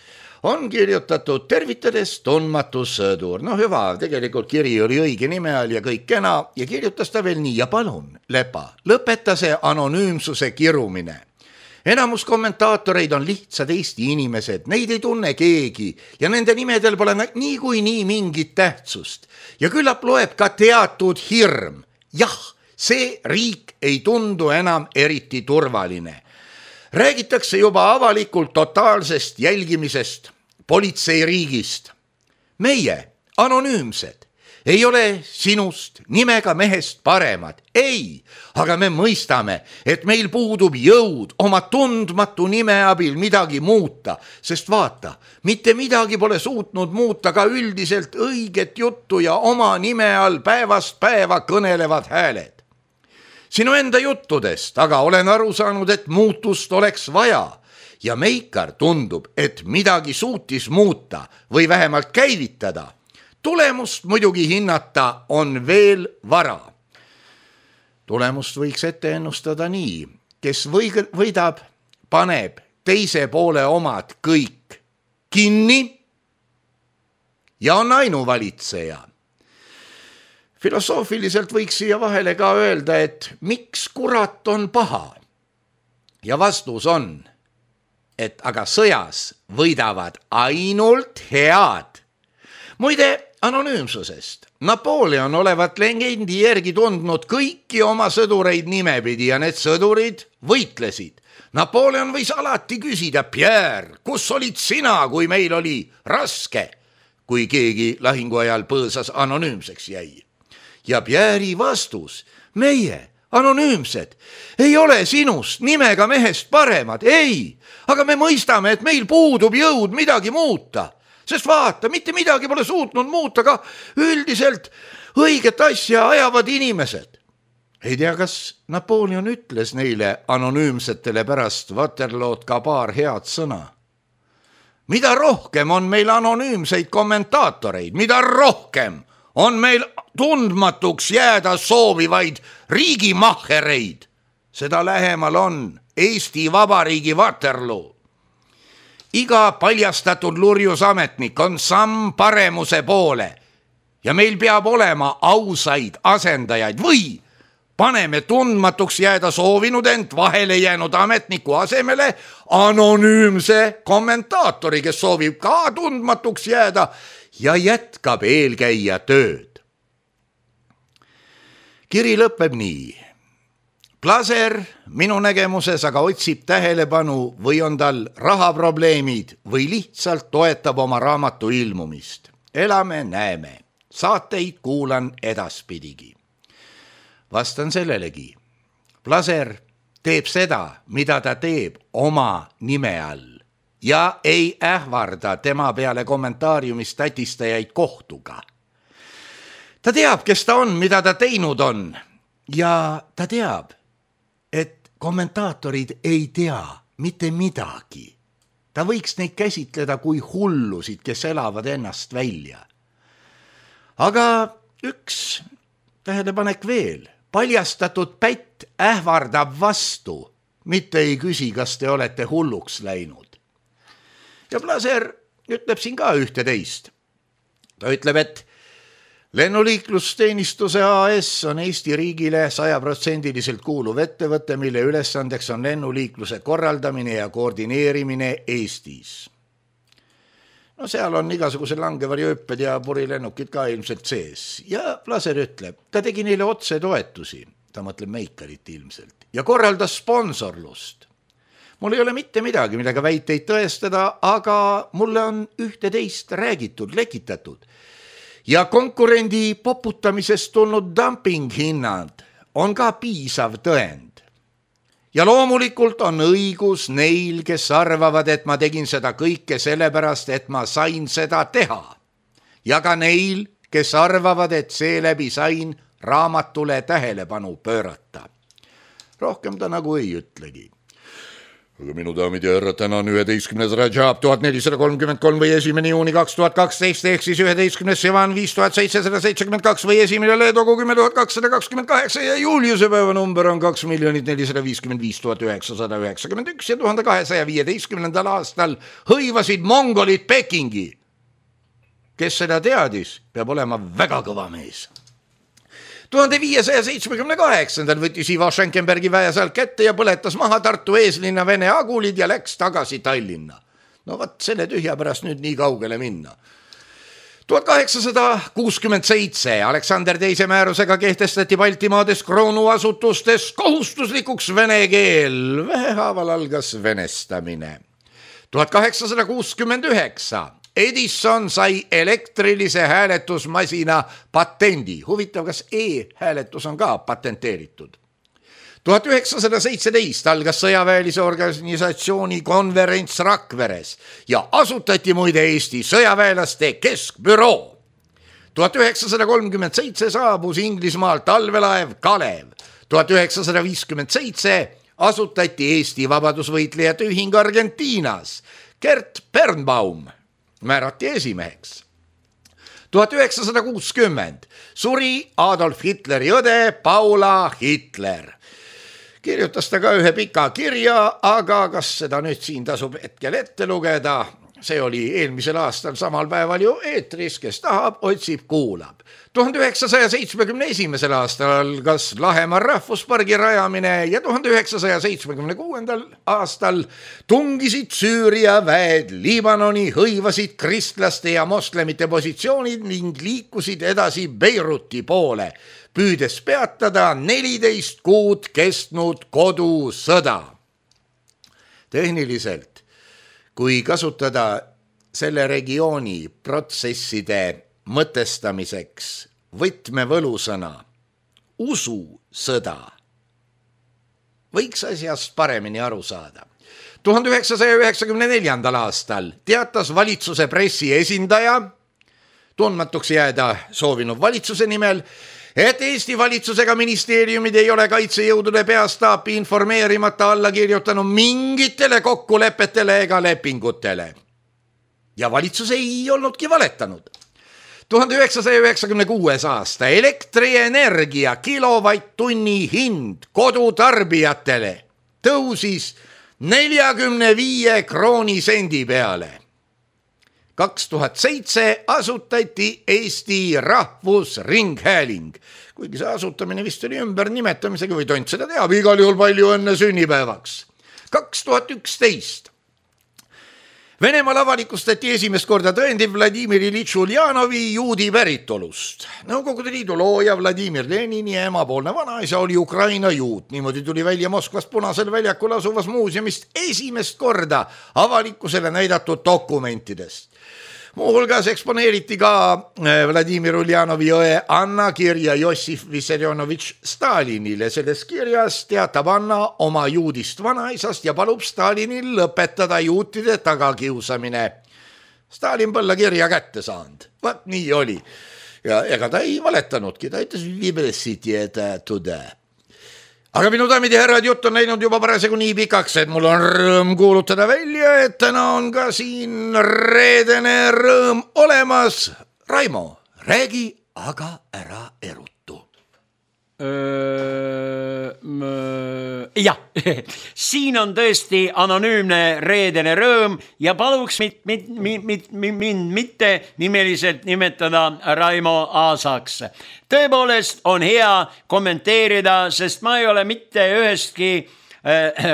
Speaker 3: on kirjutatud tervitades tundmatu sõdur. No hüva, tegelikult kiri oli õige nime all ja kõik kena ja kirjutas ta veel nii ja palun, Lepa, lõpeta see anonüümsuse kirumine. Enamus kommentaatoreid on lihtsad Eesti inimesed, neid ei tunne keegi ja nende nimedel pole nii kui nii mingit tähtsust. Ja küllap loeb ka teatud hirm. Jah, see riik ei tundu enam eriti turvaline. Räägitakse juba avalikult totaalsest jälgimisest, politseiriigist. Meie, anonüümsed, ei ole sinust nimega mehest paremad. Ei, aga me mõistame, et meil puudub jõud oma tundmatu nime abil midagi muuta, sest vaata, mitte midagi pole suutnud muuta ka üldiselt õiget juttu ja oma nime all päevast päeva kõnelevad hääled. Sinu enda juttudest, aga olen aru saanud, et muutust oleks vaja ja Meikar tundub, et midagi suutis muuta või vähemalt käivitada. Tulemust muidugi hinnata on veel vara. Tulemust võiks ette ennustada nii, kes võidab, paneb teise poole omad kõik kinni ja on ainuvalitseja. Filosoofiliselt võiks siia vahele ka öelda, et miks kurat on paha? Ja vastus on, et aga sõjas võidavad ainult head. Muide, anonüümsusest. Napoleon olevat legendi järgi tundnud kõiki oma sõdureid nimepidi ja need sõdurid võitlesid. Napoleon võis alati küsida, Pierre, kus olid sina, kui meil oli raske, kui keegi lahingu ajal põõsas anonüümseks jäi. Ja Pierre'i vastus, meie, anonüümsed, ei ole sinust nimega mehest paremad, ei, aga me mõistame, et meil puudub jõud midagi muuta, sest vaata, mitte midagi pole suutnud muuta, ka üldiselt õiget asja ajavad inimesed. Ei tea, kas Napoleon ütles neile anonüümsetele pärast Waterlood ka paar head sõna. mida rohkem on meil anonüümseid kommentaatoreid, mida rohkem on meil tundmatuks jääda soovivaid riigimahhereid, seda lähemal on Eesti Vabariigi Waterloo. Iga paljastatud lurjusametnik on samm paremuse poole ja meil peab olema ausaid asendajaid või paneme tundmatuks jääda soovinud ent vahele jäänud ametniku asemele anonüümse kommentaatori, kes soovib ka tundmatuks jääda ja jätkab eelkäija tööd. Kiri lõpeb nii. Plaser minu nägemuses aga otsib tähelepanu või on tal rahaprobleemid või lihtsalt toetab oma raamatu ilmumist. Elame, näeme. Saateid kuulan edaspidigi. Vastan sellelegi. Plaser teeb seda, mida ta teeb oma nime all ja ei ähvarda tema peale kommentaariumis tätistajaid kohtuga. Ta teab, kes ta on, mida ta teinud on ja ta teab, et kommentaatorid ei tea mitte midagi. Ta võiks neid käsitleda kui hullusid, kes elavad ennast välja. Aga üks tähelepanek veel. Paljastatud pätt ähvardab vastu, mitte ei küsi, kas te olete hulluks läinud. Ja Plaser ütleb siin ka ühte teist. Ta ütleb, et lennuliiklusteenistuse A S on Eesti riigile sajaprotsendiliselt kuuluv ettevõte, mille ülesandeks on lennuliikluse korraldamine ja koordineerimine Eestis. No seal on igasuguse langevarjööpped ja purilennukid ka ilmselt sees. Ja Plaser ütleb, ta tegi neile otse toetusi, ta mõtleb Meikarit ilmselt, ja korraldas sponsorlust. Mul ei ole mitte midagi, millega väiteid tõestada, aga mulle on ühte teist räägitud, lekitatud. Ja konkurendi poputamisest tulnud dumpinghinnad on ka piisav tõend. Ja loomulikult on õigus neil, kes arvavad, et ma tegin seda kõike sellepärast, et ma sain seda teha. Ja ka neil, kes arvavad, et seeläbi sain raamatule tähelepanu pöörata. Rohkem ta nagu ei ütlegi. Aga minu daamid ja härrad, täna on üheteistkümnes Rajab tuhat nelisada kolmkümmend kolm või esimene juuni kaks tuhat kaksteist ehk siis üheteistkümnes Sivan viis tuhat seitsesada seitsekümmend kaks või esimene Leedogu kümme tuhat kakssada kakskümmend kaheksa ja Juliuse päeva number on kaks miljonit nelisada viiskümmend viis tuhat üheksasada üheksakümmend üks ja tuhande kahesaja viieteistkümnendal aastal hõivasid mongolid Pekingi. Kes seda teadis, peab olema väga kõva mees. tuhande viiesaja seitsmekümne kaheksandal võttis Ivo Schenkenbergi väe sealt kätte ja põletas maha Tartu eeslinna Vene agulid ja läks tagasi Tallinna. No võt, selle tühja pärast nüüd nii kaugele minna. tuhat kaheksasada kuuskümmend seitse Aleksander teise määrusega kehtestati Baltimaades kroonuasutustes kohustuslikuks vene keel. Vähehaaval algas venestamine. tuhat kaheksasada kuuskümmend üheksa Edison sai elektrilise hääletusmasina patendi. Huvitav, kas e-hääletus on ka patenteeritud. tuhat üheksasada seitseteist algas sõjaväelise organisatsiooni konverents Rakveres ja asutati muide Eesti sõjaväelaste keskbüroo. tuhat üheksasada kolmkümmend seitse saabus Inglismaalt talvelaev Kalev. tuhat üheksasada viiskümmend seitse asutati Eesti vabadusvõitlejate ühing Argentiinas. Gert Birnbaum määrati esimeheks. tuhat üheksasada kuuskümmend suri Adolf Hitleri õde Paula Hitler. Kirjutas ta ka ühe pika kirja, aga kas seda nüüd siin tasub hetkel ette lugeda? See oli eelmisel aastal samal päeval ju eetris, kes tahab, otsib, kuulab. tuhande üheksasaja seitsmekümne esimesel aastal algas Lahemaa rahvuspargi rajamine ja tuhande üheksasaja seitsmekümne kuuendal aastal tungisid Süüria väed Liibanoni, hõivasid kristlaste ja moslemite positsioonid ning liikusid edasi Beiruti poole, püüdes peatada neliteist kuud kestnud kodusõda. Tehniliselt, kui kasutada selle regiooni protsesside mõtestamiseks võtmevõlusõna ususõda, võiks asjast paremini aru saada. tuhande üheksasaja üheksakümne neljandal aastal teatas valitsuse pressiesindaja, tundmatuks jääda soovinud valitsuse nimel, et Eesti valitsusega ministeeriumid ei ole kaitsejõudude peastaapi informeerimata alla kirjutanud mingitele kokkulepetele ega lepingutele. ja valitsus ei olnudki valetanud. tuhande üheksasaja üheksakümne kuues aasta elektrienergia kilovatt-tunni hind kodutarbijatele tõusis neljakümne viie kroonisendi peale. kaks tuhat seitse asutati Eesti Rahvusringhääling, kuigi see asutamine vist oli ümber nimetamisega või tont seda teab, igal juhul palju õnne sünnipäevaks. kaks tuhat üksteist Venemaal avalikustati esimest korda tõendi Vladimir Iljitš Uljanovi juudi päritolust. Nõukogude Liidu looja Vladimir Lenini emapoolne vanaisa oli Ukraina juut. Niimoodi tuli välja Moskvas Punasel väljakul asuvas muuseumist esimest korda avalikkusele näidatud dokumentidest. Muuhulgas eksponeeriti ka Vladimir Uljanovi õe Anna kirja Jossif Vissarionovitš Stalinile. Selles kirjas teatab Anna oma juudist vanaisast ja palub Stalinil lõpetada juutide tagakiusamine. Stalin põlla kirja kätte saanud. Vaat nii oli. Ja ega ta ei valetanudki, ta ütles vibressiti, et tõde. Aga minu daamid ja härrad, jutt on läinud juba parasjagu nii pikaks, et mul on rõõm kuulutada välja, et täna on ka siin reedene rõõm olemas. Raimo, räägi aga ära erutu.
Speaker 4: Jah, siin on tõesti anonüümne reedene rõõm ja paluks mit, mit, mit, mit, mind mitte nimeliselt nimetada Raimo Aasaks. Tõepoolest on hea kommenteerida, sest ma ei ole mitte ühestki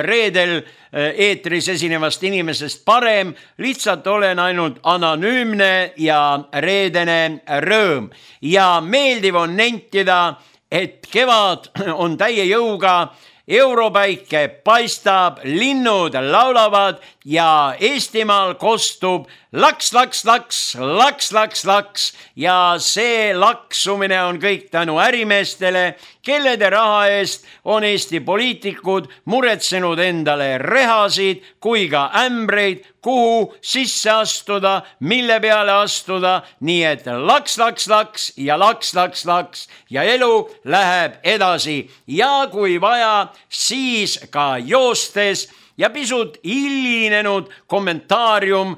Speaker 4: reedel eetris esinevast inimesest parem, lihtsalt olen ainult anonüümne ja reedene rõõm. Ja meeldiv on nentida, et kevad on täie jõuga, europäike paistab, linnud laulavad ja Eestimaal kostub laks, laks, laks, laks, laks, laks ja see laksumine on kõik tänu ärimeestele, kellede raha eest on Eesti poliitikud muretsenud endale rehasid kui ka ämbreid, kuhu sisse astuda, mille peale astuda, nii et laks, laks, laks ja laks, laks, laks ja elu läheb edasi ja kui vaja, siis ka joostes ja pisut hilinenud kommentaarium,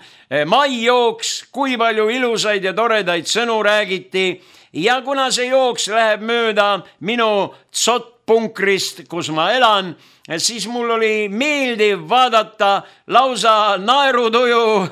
Speaker 4: mai jooks, kui palju ilusaid ja toredaid sõnu räägiti ja kuna see jooks läheb mööda minu tsotpunkrist, kus ma elan, siis mul oli meeldiv vaadata lausa naerutuju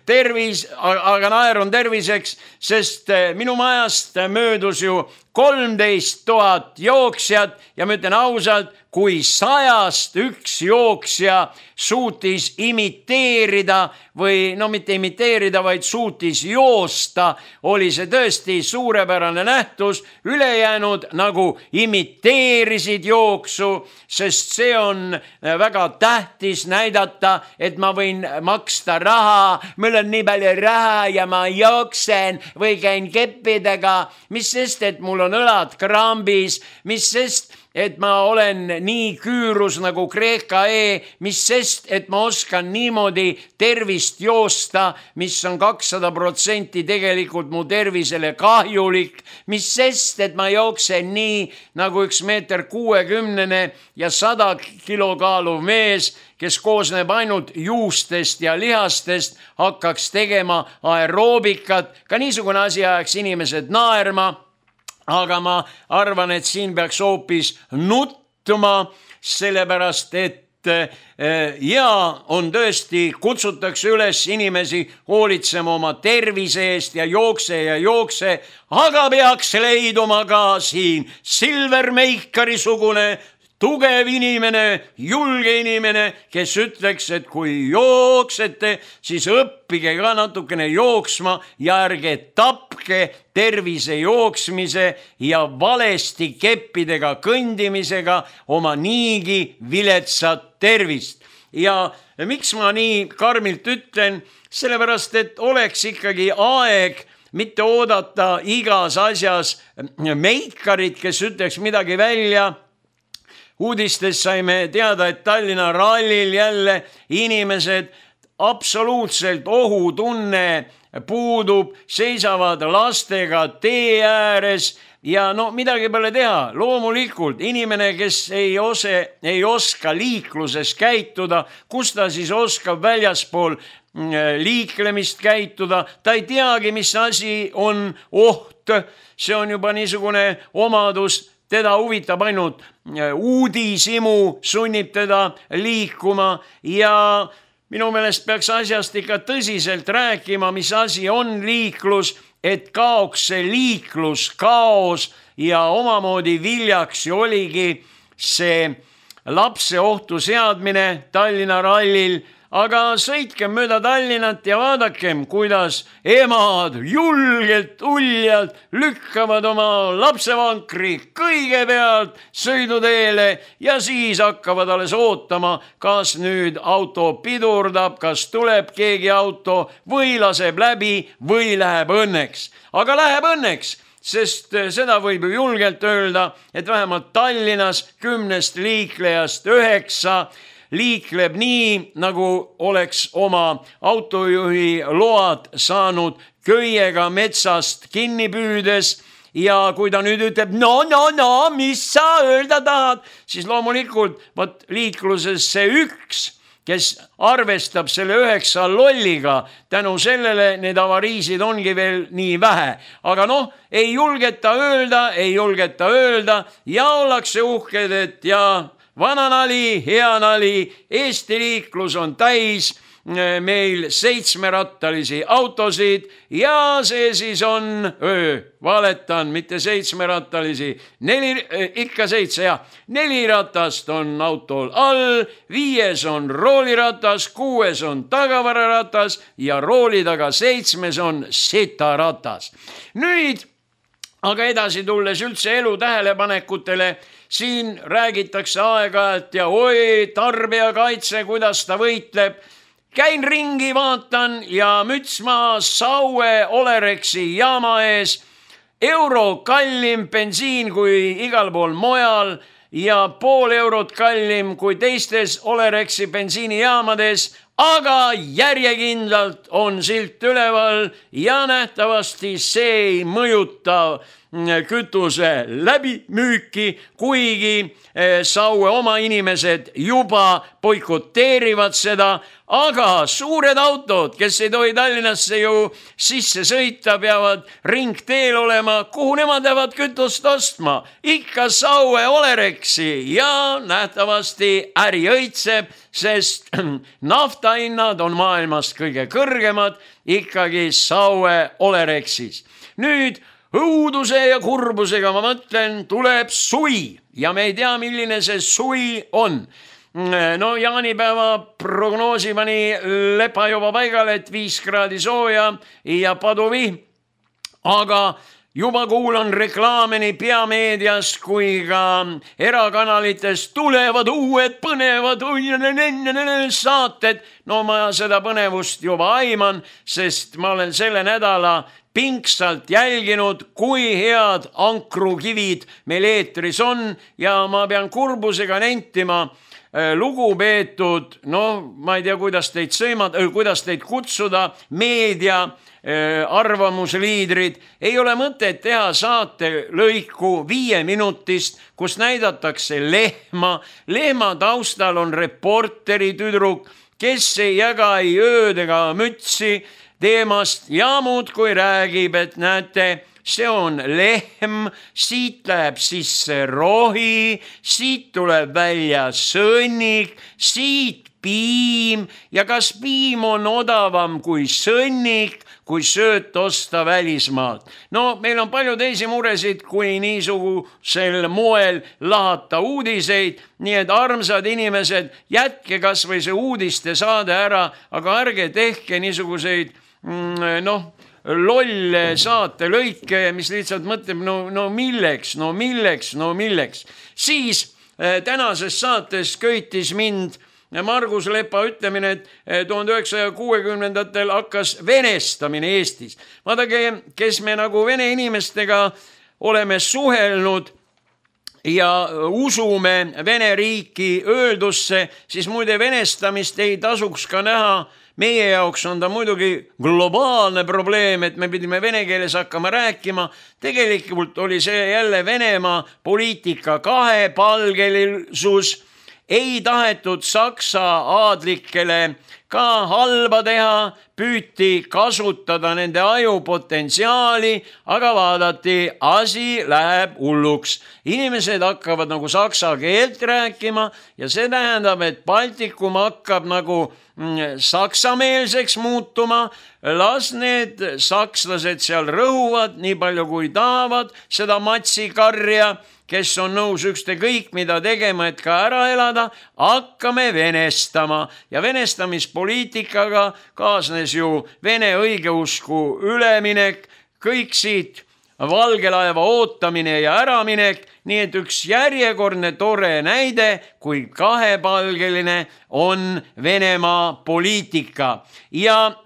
Speaker 4: tervis, aga naer on terviseks, sest minu majast möödus ju kolmteist tuhat jooksjat ja ma ütlen ausalt, kui sajast üks jooksja suutis imiteerida või no mitte imiteerida, vaid suutis joosta, oli see tõesti suurepärane nähtus. Ülejäänud nagu imiteerisid jooksu, sest see on väga tähtis näidata, et ma võin maksta raha, mul on nii palju raha ja ma jooksen või käin keppidega, mis sest, et mul on õlad krambis, mis sest, et ma olen nii küürus nagu Kreeka E, mis sest, et ma oskan niimoodi tervist joosta, mis on kakssada protsenti tegelikult mu tervisele kahjulik, mis sest, et ma jooksen nii nagu üks meeter kuuekümnene ja sada kilo kaaluv mees, kes koosneb ainult juustest ja lihastest, hakkaks tegema aeroobikat, ka niisugune asi ajaks inimesed naerma. Aga ma arvan, et siin peaks hoopis nuttuma, sellepärast et ja on tõesti, kutsutakse üles inimesi hoolitsema oma tervise eest ja jookse ja jookse, aga peaks leiduma ka siin Silver Meikari sugune tugev inimene, julge inimene, kes ütleks, et kui jooksete, siis õppige ka natukene jooksma ja ärge tapke tervise jooksmise ja valesti keppidega kõndimisega oma niigi viletsat tervist. Ja miks ma nii karmilt ütlen? Sellepärast, et oleks ikkagi aeg mitte oodata igas asjas meikarit, kes ütleks midagi välja. Uudistes saime teada, et Tallinna rallil jälle inimesed absoluutselt ohutunne puudub, seisavad lastega tee ääres, ja no midagi pole teha, loomulikult inimene, kes ei, ose, ei oska liikluses käituda, kus ta siis oskab väljaspool liiklemist käituda, ta ei teagi, mis asi on oht, see on juba niisugune omadus, teda huvitab ainult uudishimu, sunnib teda liikuma ja minu meelest peaks asjast ikka tõsiselt rääkima, mis asi on liiklus, et kaoks see liiklus, kaos ja omamoodi viljaks ju oligi see lapse ohtu seadmine Tallinna rallil, aga sõitkem mööda Tallinnat ja vaadakem, kuidas emad julgelt, uljalt lükkavad oma lapsevankri kõigepealt sõiduteele ja siis hakkavad alles ootama, kas nüüd auto pidurdab, kas tuleb keegi auto või laseb läbi või läheb õnneks. Aga läheb õnneks, sest seda võib ju julgelt öelda, et vähemalt Tallinnas kümnest liiklejast üheksa liikleb nii, nagu oleks oma autojuhi load saanud köiega metsast kinni püüdes ja kui ta nüüd ütleb, no, no, no, mis sa öelda tahad, siis loomulikult võt liikluses see üks, kes arvestab selle üheksa lolliga, tänu sellele need avariisid ongi veel nii vähe. Aga noh, ei julgeta öelda, ei julgeta öelda ja ollakse uhked, et ja vana nali, hea nali, Eesti liiklus on täis meil seitsmerattalisi autosid ja see siis on, öö, valetan, mitte seitsmerattalisi, neli, ikka seitse, jah, neli ratast on autol all, viies on rooliratas, kuues on tagavararatas ja rooli taga seitsmes on setaratas. Nüüd aga edasi tulles üldse elu tähelepanekutele, siin räägitakse aeg-ajalt ja oi, tarbijakaitse, kuidas ta võitleb. Käin ringi, vaatan ja müts maa Saue Olerexi jaama ees. Euro kallim bensiin kui igal pool mojal ja pool eurot kallim kui teistes Olerexi bensiinijaamades, aga järjekindlalt on silt üleval ja nähtavasti see ei mõjuta kütuse läbimüüki, kuigi Saue oma inimesed juba boikoteerivad seda, aga suured autod, kes ei tohi Tallinnasse ju sisse sõita, peavad ringteel olema, kuhu nemad lähevad kütust ostma. Ikka Saue Olerexi ja nähtavasti äri õitseb, sest naftahinnad on maailmast kõige kõrgemad ikkagi Saue Olerexis. Nüüd õuduse ja kurbusega, ma mõtlen, tuleb suvi ja me ei tea, milline see suvi on. No jaanipäeva prognoosi pani lepa juba paigale, et viis kraadi sooja ja paduvihm, aga juba kuulan reklaame nii peameedias kui ka erakanalites tulevad uued põnevad saated. No ma seda põnevust juba aiman, sest ma olen selle nädala pingsalt jälginud, kui head ankrukivid meil eetris on ja ma pean kurbusega nentima, lugupeetud, no ma ei tea, kuidas teid sõimad, kuidas teid kutsuda, meedia arvamusliidrid, ei ole mõtet teha saate lõiku viie minutist, kus näidatakse lehma. Lehma taustal on reporteri tüdruk, kes ei jaga ei ööd ega mütsi teemast ja muud kui räägib, et näete, see on lehm, siit läheb sisse rohi, siit tuleb välja sõnnik, siit piim ja kas piim on odavam kui sõnnik, kui sööt osta välismaalt. No meil on palju teisi muresid, kui niisugusel moel lahata uudiseid, nii et armsad inimesed, jätke kas või see uudiste saade ära, aga ärge tehke niisuguseid noh, lolle saate lõike, mis lihtsalt mõtleb, no, no milleks, no milleks, no milleks. Siis tänases saates köitis mind Margus Lepa ütlemine, et tuhande üheksasaja kuuekümnendatel hakkas venestamine Eestis. Vaadake, kes me nagu vene inimestega oleme suhelnud, ja usume Vene riiki öeldusse, siis muide venestamist ei tasuks ka näha. Meie jaoks on ta muidugi globaalne probleem, et me pidime vene keeles hakkama rääkima. Tegelikult oli see jälle Venemaa poliitika kahepalgelisus. Ei tahetud Saksa aadlikele ka halba teha, püüti kasutada nende ajupotentsiaali, aga vaadati, asi läheb hulluks. Inimesed hakkavad nagu saksa keelt rääkima ja see tähendab, et Baltikum hakkab nagu saksameelseks muutuma. Las need sakslased seal rõhuvad nii palju kui tahavad seda matsikarja, kes on nõus ükskõik mida tegema, et ka ära elada, hakkame venestama. Ja venestamispoliitikaga kaasnes ju Vene õigeusku üleminek, kõik siit valgelaeva ootamine ja äraminek, nii et üks järjekordne tore näide, kui kahepalgeline on Venemaa poliitika. Ja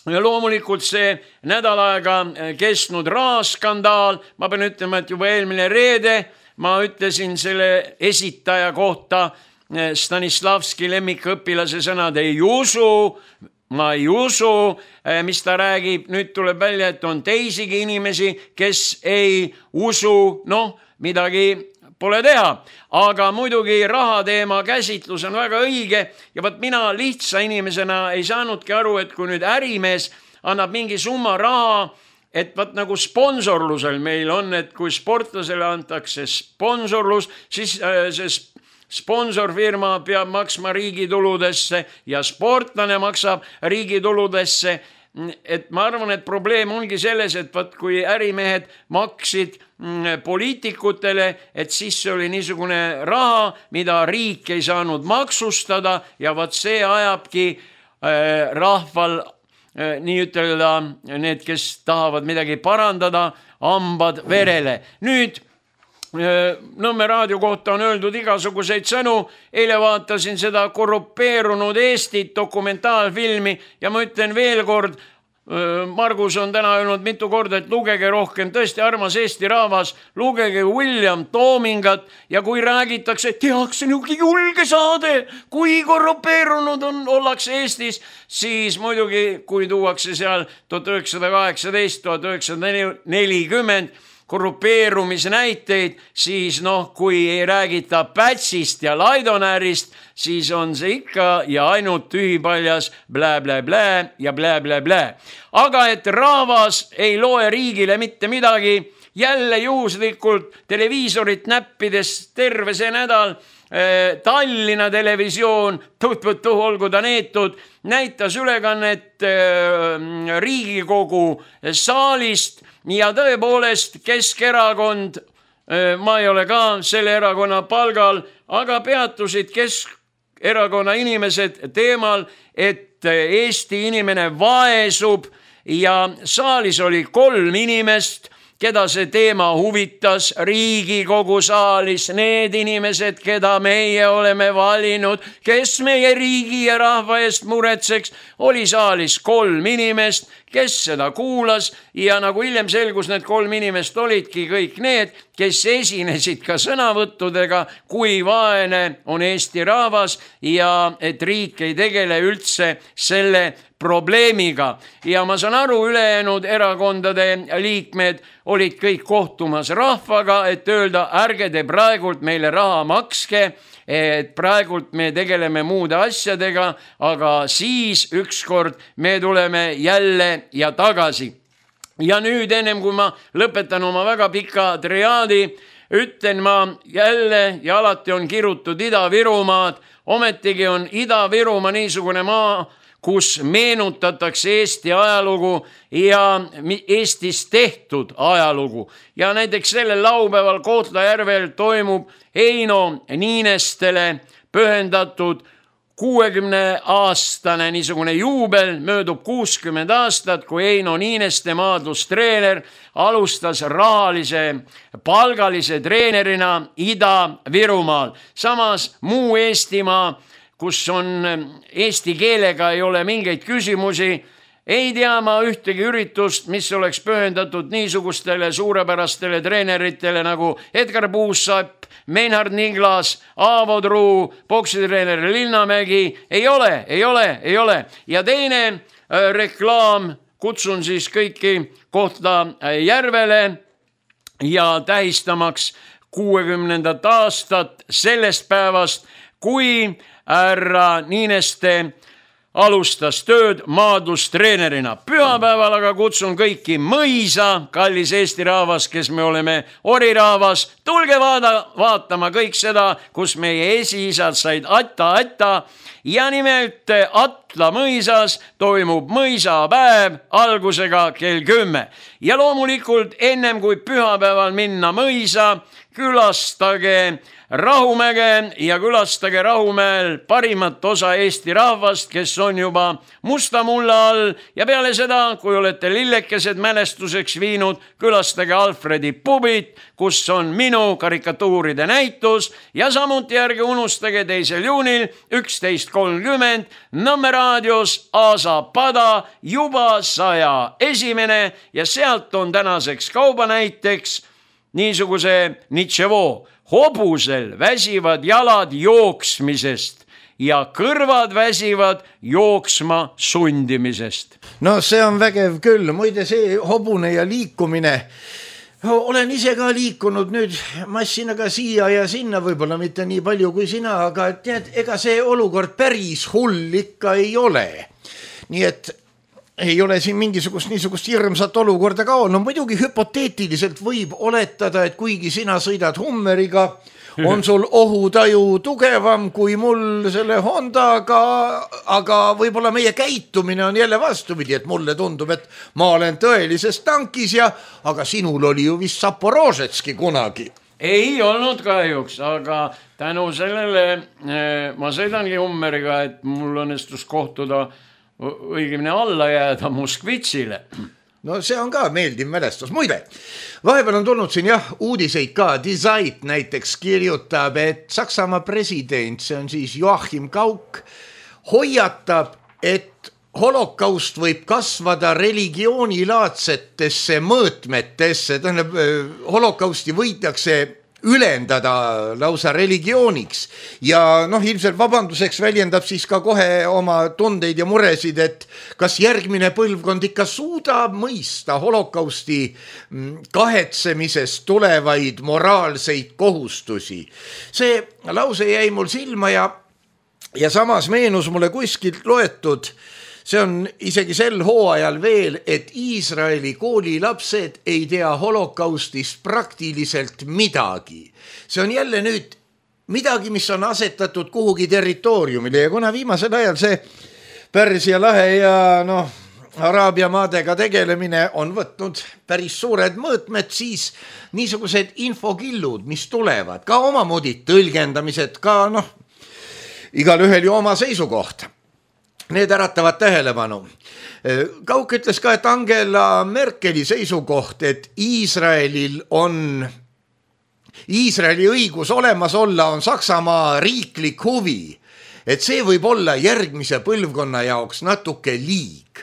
Speaker 4: Ja loomulikult see nädal aega kestnud rahaskandaal, ma pean ütlema, et juba eelmine reede ma ütlesin selle esitaja kohta Stanislavski lemmikõpilase sõnad ei usu, ma ei usu, mis ta räägib. Nüüd tuleb välja, et on teisigi inimesi, kes ei usu, noh, midagi pole teha, aga muidugi rahateema käsitlus on väga õige ja võt mina lihtsa inimesena ei saanudki aru, et kui nüüd ärimees annab mingi summa raha, et võt nagu sponsorlusel meil on, et kui sportlasele antakse sponsorlus, siis see sponsorfirma peab maksma riigituludesse ja sportlane maksab riigituludesse. Et ma arvan, et probleem ongi selles, et võt kui ärimehed maksid poliitikutele, et siis see oli niisugune raha, mida riik ei saanud maksustada ja võt see ajabki rahval, nii ütelda, need, kes tahavad midagi parandada, hambad verele. Nüüd Nõmme raadio kohta on öeldud igasuguseid sõnu. Eile vaatasin seda korrupeerunud Eestit dokumentaalfilmi ja ma ütlen veel kord, Margus on täna öelnud mitu korda, et lugege rohkem, tõesti armas Eesti rahvas, lugege William Toomingat ja kui räägitakse, tehakse niugi julge saade, kui korrupeerunud on, ollakse Eestis, siis muidugi, kui tuuakse seal tuhat üheksasada kaheksateist, tuhat üheksasada nelikümmend korrupeerumisnäiteid, siis noh, kui ei räägita Pätsist ja Laidonäärist, siis on see ikka ja ainult tühipaljas blä, blä, blä ja blä, blä, blä. Aga et rahvas ei loe riigile mitte midagi, jälle juhuslikult televiisorit näppides terve see nädal Tallinna televisioon, tuh-tuh-tuh, olgu ta neetud, näitas ülekannet Riigikogu saalist ja tõepoolest Keskerakond, ma ei ole ka selle erakonna palgal, aga peatusid Keskerakonna inimesed teemal, et Eesti inimene vaesub ja saalis oli kolm inimest, keda see teema huvitas, Riigikogu saalis, need inimesed, keda meie oleme valinud, kes meie riigi ja rahva eest muretseks, oli saalis kolm inimest, kes seda kuulas ja nagu hiljem selgus, need kolm inimest olidki kõik need, kes esinesid ka sõnavõttudega, kui vaene on Eesti rahvas ja et riik ei tegele üldse selle probleemiga. Ja ma saan aru, ülejäänud erakondade liikmed olid kõik kohtumas rahvaga, et öelda, ärge te praegult meile raha makske, et praegult me tegeleme muude asjadega, aga siis ükskord me tuleme jälle ja tagasi. Ja nüüd ennem kui ma lõpetan oma väga pika triaadi, ütlen ma jälle ja alati on kirutud Ida-Virumaad, ometigi on Ida-Virumaa niisugune maa, kus meenutatakse Eesti ajalugu ja Eestis tehtud ajalugu. Ja näiteks sellel laupäeval Kohtla-Järvel toimub Heino Niinestele pühendatud kuuekümne aastane niisugune juubel, möödub kuuskümmend aastat, kui Heino Niineste maadlustreener alustas rahalise palgalise treenerina Ida-Virumaal. Samas muu Eestimaa, kus on eesti keelega ei ole mingeid küsimusi, ei tea ma ühtegi üritust, mis oleks pühendatud niisugustele suurepärastele treeneritele nagu Edgar Puussapp, Meinhard Niglas, Aavo Truu, poksitreener Linnamägi. Ei ole, ei ole, ei ole. Ja teine äh, reklaam, kutsun siis kõiki Kohtla-Järvele ja tähistamaks kuuekümnendat aastat sellest päevast, kui härra Niineste alustas tööd maadlustreenerina. Pühapäeval aga kutsun kõiki mõisa, kallis Eesti rahvas, kes me oleme orirahvas. Tulge vaada, vaatama kõik seda, kus meie esiisad said atta-atta. Ja nimelt Atla mõisas toimub mõisapäev algusega kell kümme. Ja loomulikult ennem kui pühapäeval minna mõisa, külastage Rahumäge ja külastage Rahumäel parimat osa Eesti rahvast, kes on juba musta mulla all. Ja peale seda, kui olete lillekesed mälestuseks viinud, külastage Alfredi pubit, kus on minu karikatuuride näitus. Ja samuti ärge unustage teisel juunil üksteist kolmkümmend Nõmme raadios Aasa pada juba saja esimene ja sealt on tänaseks kauba näiteks niisuguse Nitševo. Hobusel väsivad jalad jooksmisest ja kõrvad väsivad jooksma sundimisest.
Speaker 3: No see on vägev küll, muide see hobune ja liikumine. Olen ise ka liikunud nüüd massinaga siia ja sinna, võib-olla mitte nii palju kui sina, aga tead, ega see olukord päris hull ikka ei ole. Nii et ei ole siin mingisugust niisugust hirmsat olukorda ka olnud. No muidugi hüpoteetiliselt võib oletada, et kuigi sina sõidad Hummeriga, on sul ohutaju tugevam kui mul selle Hondaga, aga võib-olla meie käitumine on jälle vastupidi, et mulle tundub, et ma olen tõelises tankis ja, aga sinul oli ju vist Zaporožetski kunagi.
Speaker 4: Ei olnud kahjuks, aga tänu sellele eh, ma sõidangi Hummeriga, et mul õnnestus kohtuda õigemini alla jääda Moskvitsile.
Speaker 3: No see on ka meeldiv mälestus. Muide, vahepeal on tulnud siin jah uudiseid ka. Dizait näiteks kirjutab, et Saksamaa president, see on siis Joachim Gauck, hoiatab, et holokaust võib kasvada religioonilaadsetesse mõõtmetesse. Tähendab, holokausti võidakse ülendada lausa religiooniks ja noh, ilmselt vabanduseks väljendab siis ka kohe oma tundeid ja muresid, et kas järgmine põlvkond ikka suudab mõista holokausti kahetsemisest tulevaid moraalseid kohustusi. See lause jäi mul silma ja, ja samas meenus mulle kuskilt loetud, see on isegi sel hooajal veel, et Iisraeli koolilapsed ei tea holokaustist praktiliselt midagi. See on jälle nüüd midagi, mis on asetatud kuhugi territooriumile ja kuna viimasel ajal see Pärsia lahe ja noh, Araabia maadega tegelemine on võtnud päris suured mõõtmed, siis niisugused infokillud, mis tulevad, ka omamoodi tõlgendamised, ka noh, igal ühel ju oma seisukoht. Need äratavad tähelepanu. Gauck ütles ka, et Angela Merkeli seisukoht, et Iisraelil on, Iisraeli õigus olemas olla on Saksamaa riiklik huvi, et see võib olla järgmise põlvkonna jaoks natuke liig.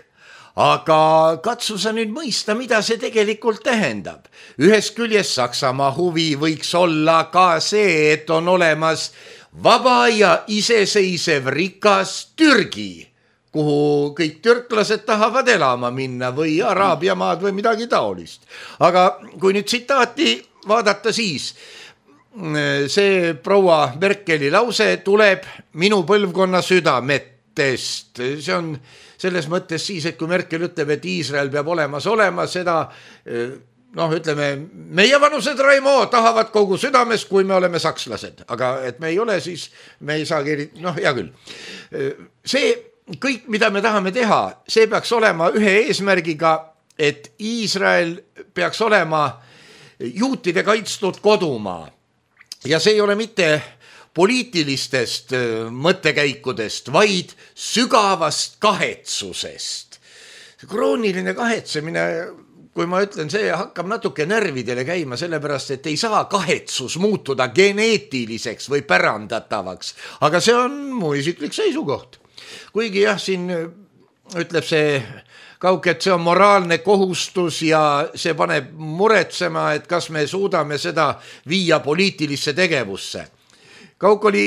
Speaker 3: Aga katsu sa nüüd mõista, mida see tegelikult tähendab. Ühest küljest Saksamaa huvi võiks olla ka see, et on olemas vaba ja iseseisev rikas Türgi, kuhu kõik türklased tahavad elama minna või Araabia maad või midagi taolist. Aga kui nüüd tsitaati vaadata, siis see proua Merkeli lause tuleb minu põlvkonna südametest. See on selles mõttes siis, et kui Merkel ütleb, et Iisrael peab olemas olema, seda noh, ütleme, meie vanused Raimo tahavad kogu südames, kui me oleme sakslased. Aga et me ei ole, siis me ei saagi, noh, hea küll. See kõik, mida me tahame teha, see peaks olema ühe eesmärgiga, et Iisrael peaks olema juutide kaitstud kodumaa. Ja see ei ole mitte poliitilistest mõttekäikudest, vaid sügavast kahetsusest. Krooniline kahetsemine, kui ma ütlen, see hakkab natuke närvidele käima, sellepärast, et ei saa kahetsus muutuda geneetiliseks või pärandatavaks. Aga see on mu isiklik seisukoht. Kuigi jah, siin ütleb see kauke, et see on moraalne kohustus ja see paneb muretsema, et kas me suudame seda viia poliitilisse tegevusse. Kauk oli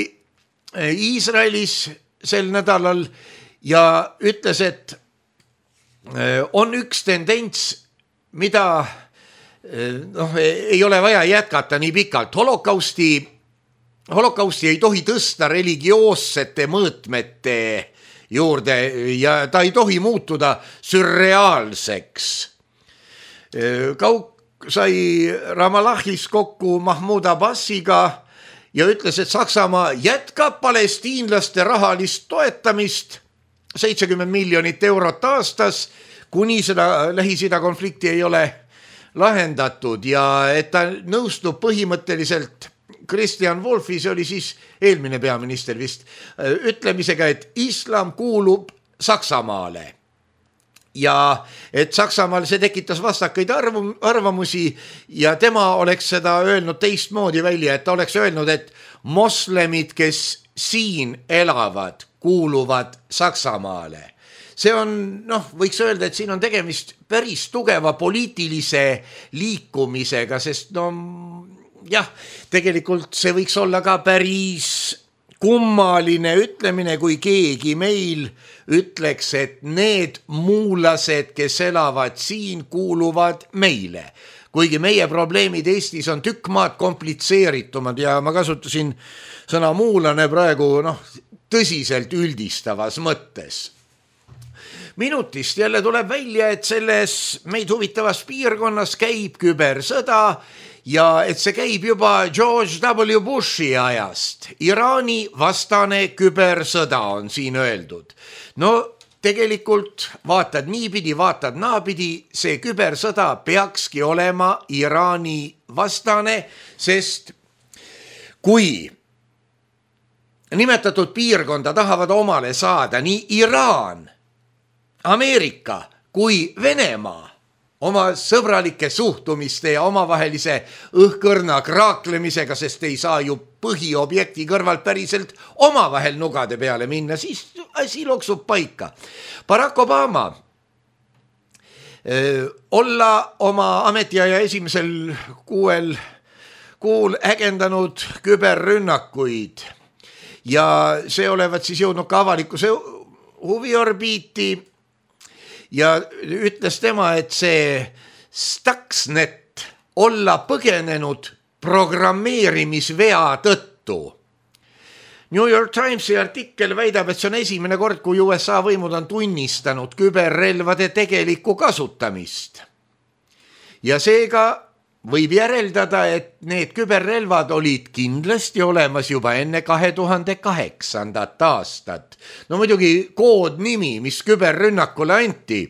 Speaker 3: Iisraelis sel nädalal ja ütles, et on üks tendents, mida noh, ei ole vaja jätkata nii pikalt. Holokausti, holokausti ei tohi tõsta religioossete mõõtmete juurde ja ta ei tohi muutuda sürreaalseks. Kauk sai Ramallahis kokku Mahmoud Abbasiga ja ütles, et Saksamaa jätkab palestiinlaste rahalist toetamist seitsekümmend miljonit eurot aastas, kuni seda Lähis-Ida konflikti ei ole lahendatud ja et ta nõustub põhimõtteliselt Christian Wolfi, see oli siis eelmine peaminister vist, ütlemisega, et islam kuulub Saksamaale. Ja et Saksamaal see tekitas vastakaid arvamusi ja tema oleks seda öelnud teistmoodi välja, et ta oleks öelnud, et moslemid, kes siin elavad, kuuluvad Saksamaale. See on, noh, võiks öelda, et siin on tegemist päris tugeva poliitilise liikumisega, sest no jah, tegelikult see võiks olla ka päris kummaline ütlemine, kui keegi meil ütleks, et need muulased, kes elavad siin, kuuluvad meile. Kuigi meie probleemid Eestis on tükk maad komplitseeritumad ja ma kasutasin sõna muulane praegu noh, tõsiselt üldistavas mõttes. Minutist jälle tuleb välja, et selles meid huvitavas piirkonnas käib kübersõda ja et see käib juba George W. Bushi ajast. Iraani vastane kübersõda on siin öeldud. No tegelikult vaatad niipidi, vaatad naapidi, see kübersõda peakski olema Iraani vastane, sest kui nimetatud piirkonda tahavad omale saada nii Iraan, Ameerika kui Venemaa oma sõbralike suhtumiste ja omavahelise õhkõrna kraaklemisega, sest ei saa ju põhiobjekti kõrvalt päriselt omavahel nugade peale minna, siis asi loksub paika. Barack Obama öö, olla oma ametiaja esimesel kuuel kuul ägendanud küberrünnakuid ja see olevat siis jõudnud ka avalikkuse huviorbiiti. Ja ütles tema, et see Stuxnet olla põgenenud programmeerimisvea tõttu. New York Timesi artikkel väidab, et see on esimene kord, kui U S A võimud on tunnistanud küberrelvade tegelikku kasutamist. Ja seega võib järeldada, et need küberrelvad olid kindlasti olemas juba enne kahe tuhande kaheksandat aastat. No muidugi koodnimi, mis küberrünnakule anti,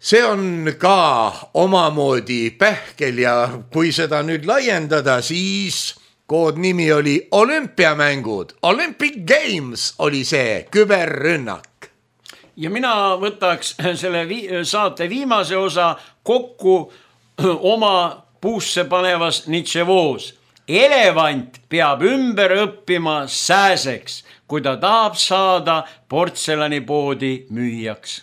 Speaker 3: see on ka omamoodi pähkel ja kui seda nüüd laiendada, siis koodnimi oli olümpiamängud. Olympic Games oli see küberrünnak.
Speaker 4: Ja mina võtaks selle vi- saate viimase osa kokku oma puusse panevas Nitševoos. Elevant peab ümber õppima sääseks, kui ta tahab saada portselanipoodi müüjaks.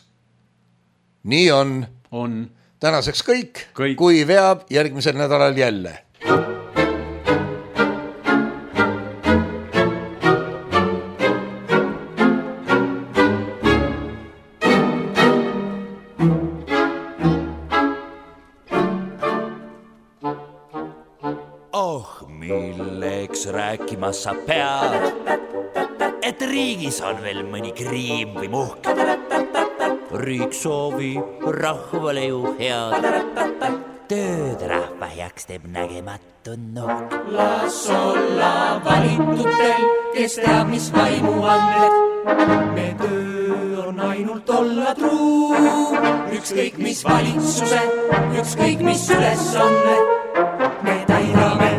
Speaker 3: Nii on.
Speaker 4: On.
Speaker 3: Tänaseks kõik,
Speaker 4: kõik.
Speaker 3: Kui veab järgmisel nädalal jälle.
Speaker 5: Milleks rääkima sa pead, et riigis on veel mõni kriim või muhk. Riik soovib rahvale ju head, tööd rahva heaks teeb nägematu nuhk.
Speaker 6: Las olla valitutel, kes teab, mis vaimu anded. Me töö on ainult olla truu, ükskõik mis valitsuse, ükskõik mis ülesanne. Me täidame.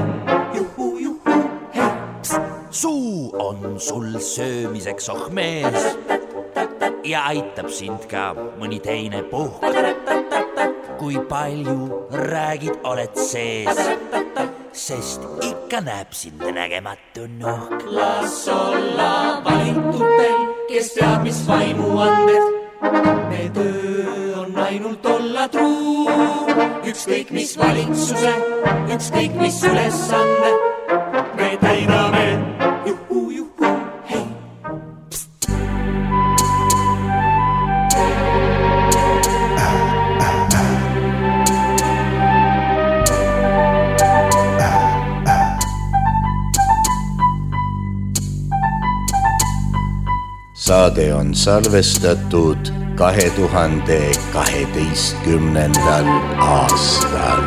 Speaker 5: Suu on sul söömiseks oh mees ja aitab sind ka mõni teine puhk. Kui palju räägid, oled sees, sest ikka näeb sind nägematu nuhk.
Speaker 6: Las olla valitutel, kes teab, mis vaimu anded. Me töö ükskõik mis valitsuse, ükskõik mis ülesande me täidame. Juhu, juhu, hei.
Speaker 3: Saade on salvestatud kahe tuhande kaheteistkümnendal aastal.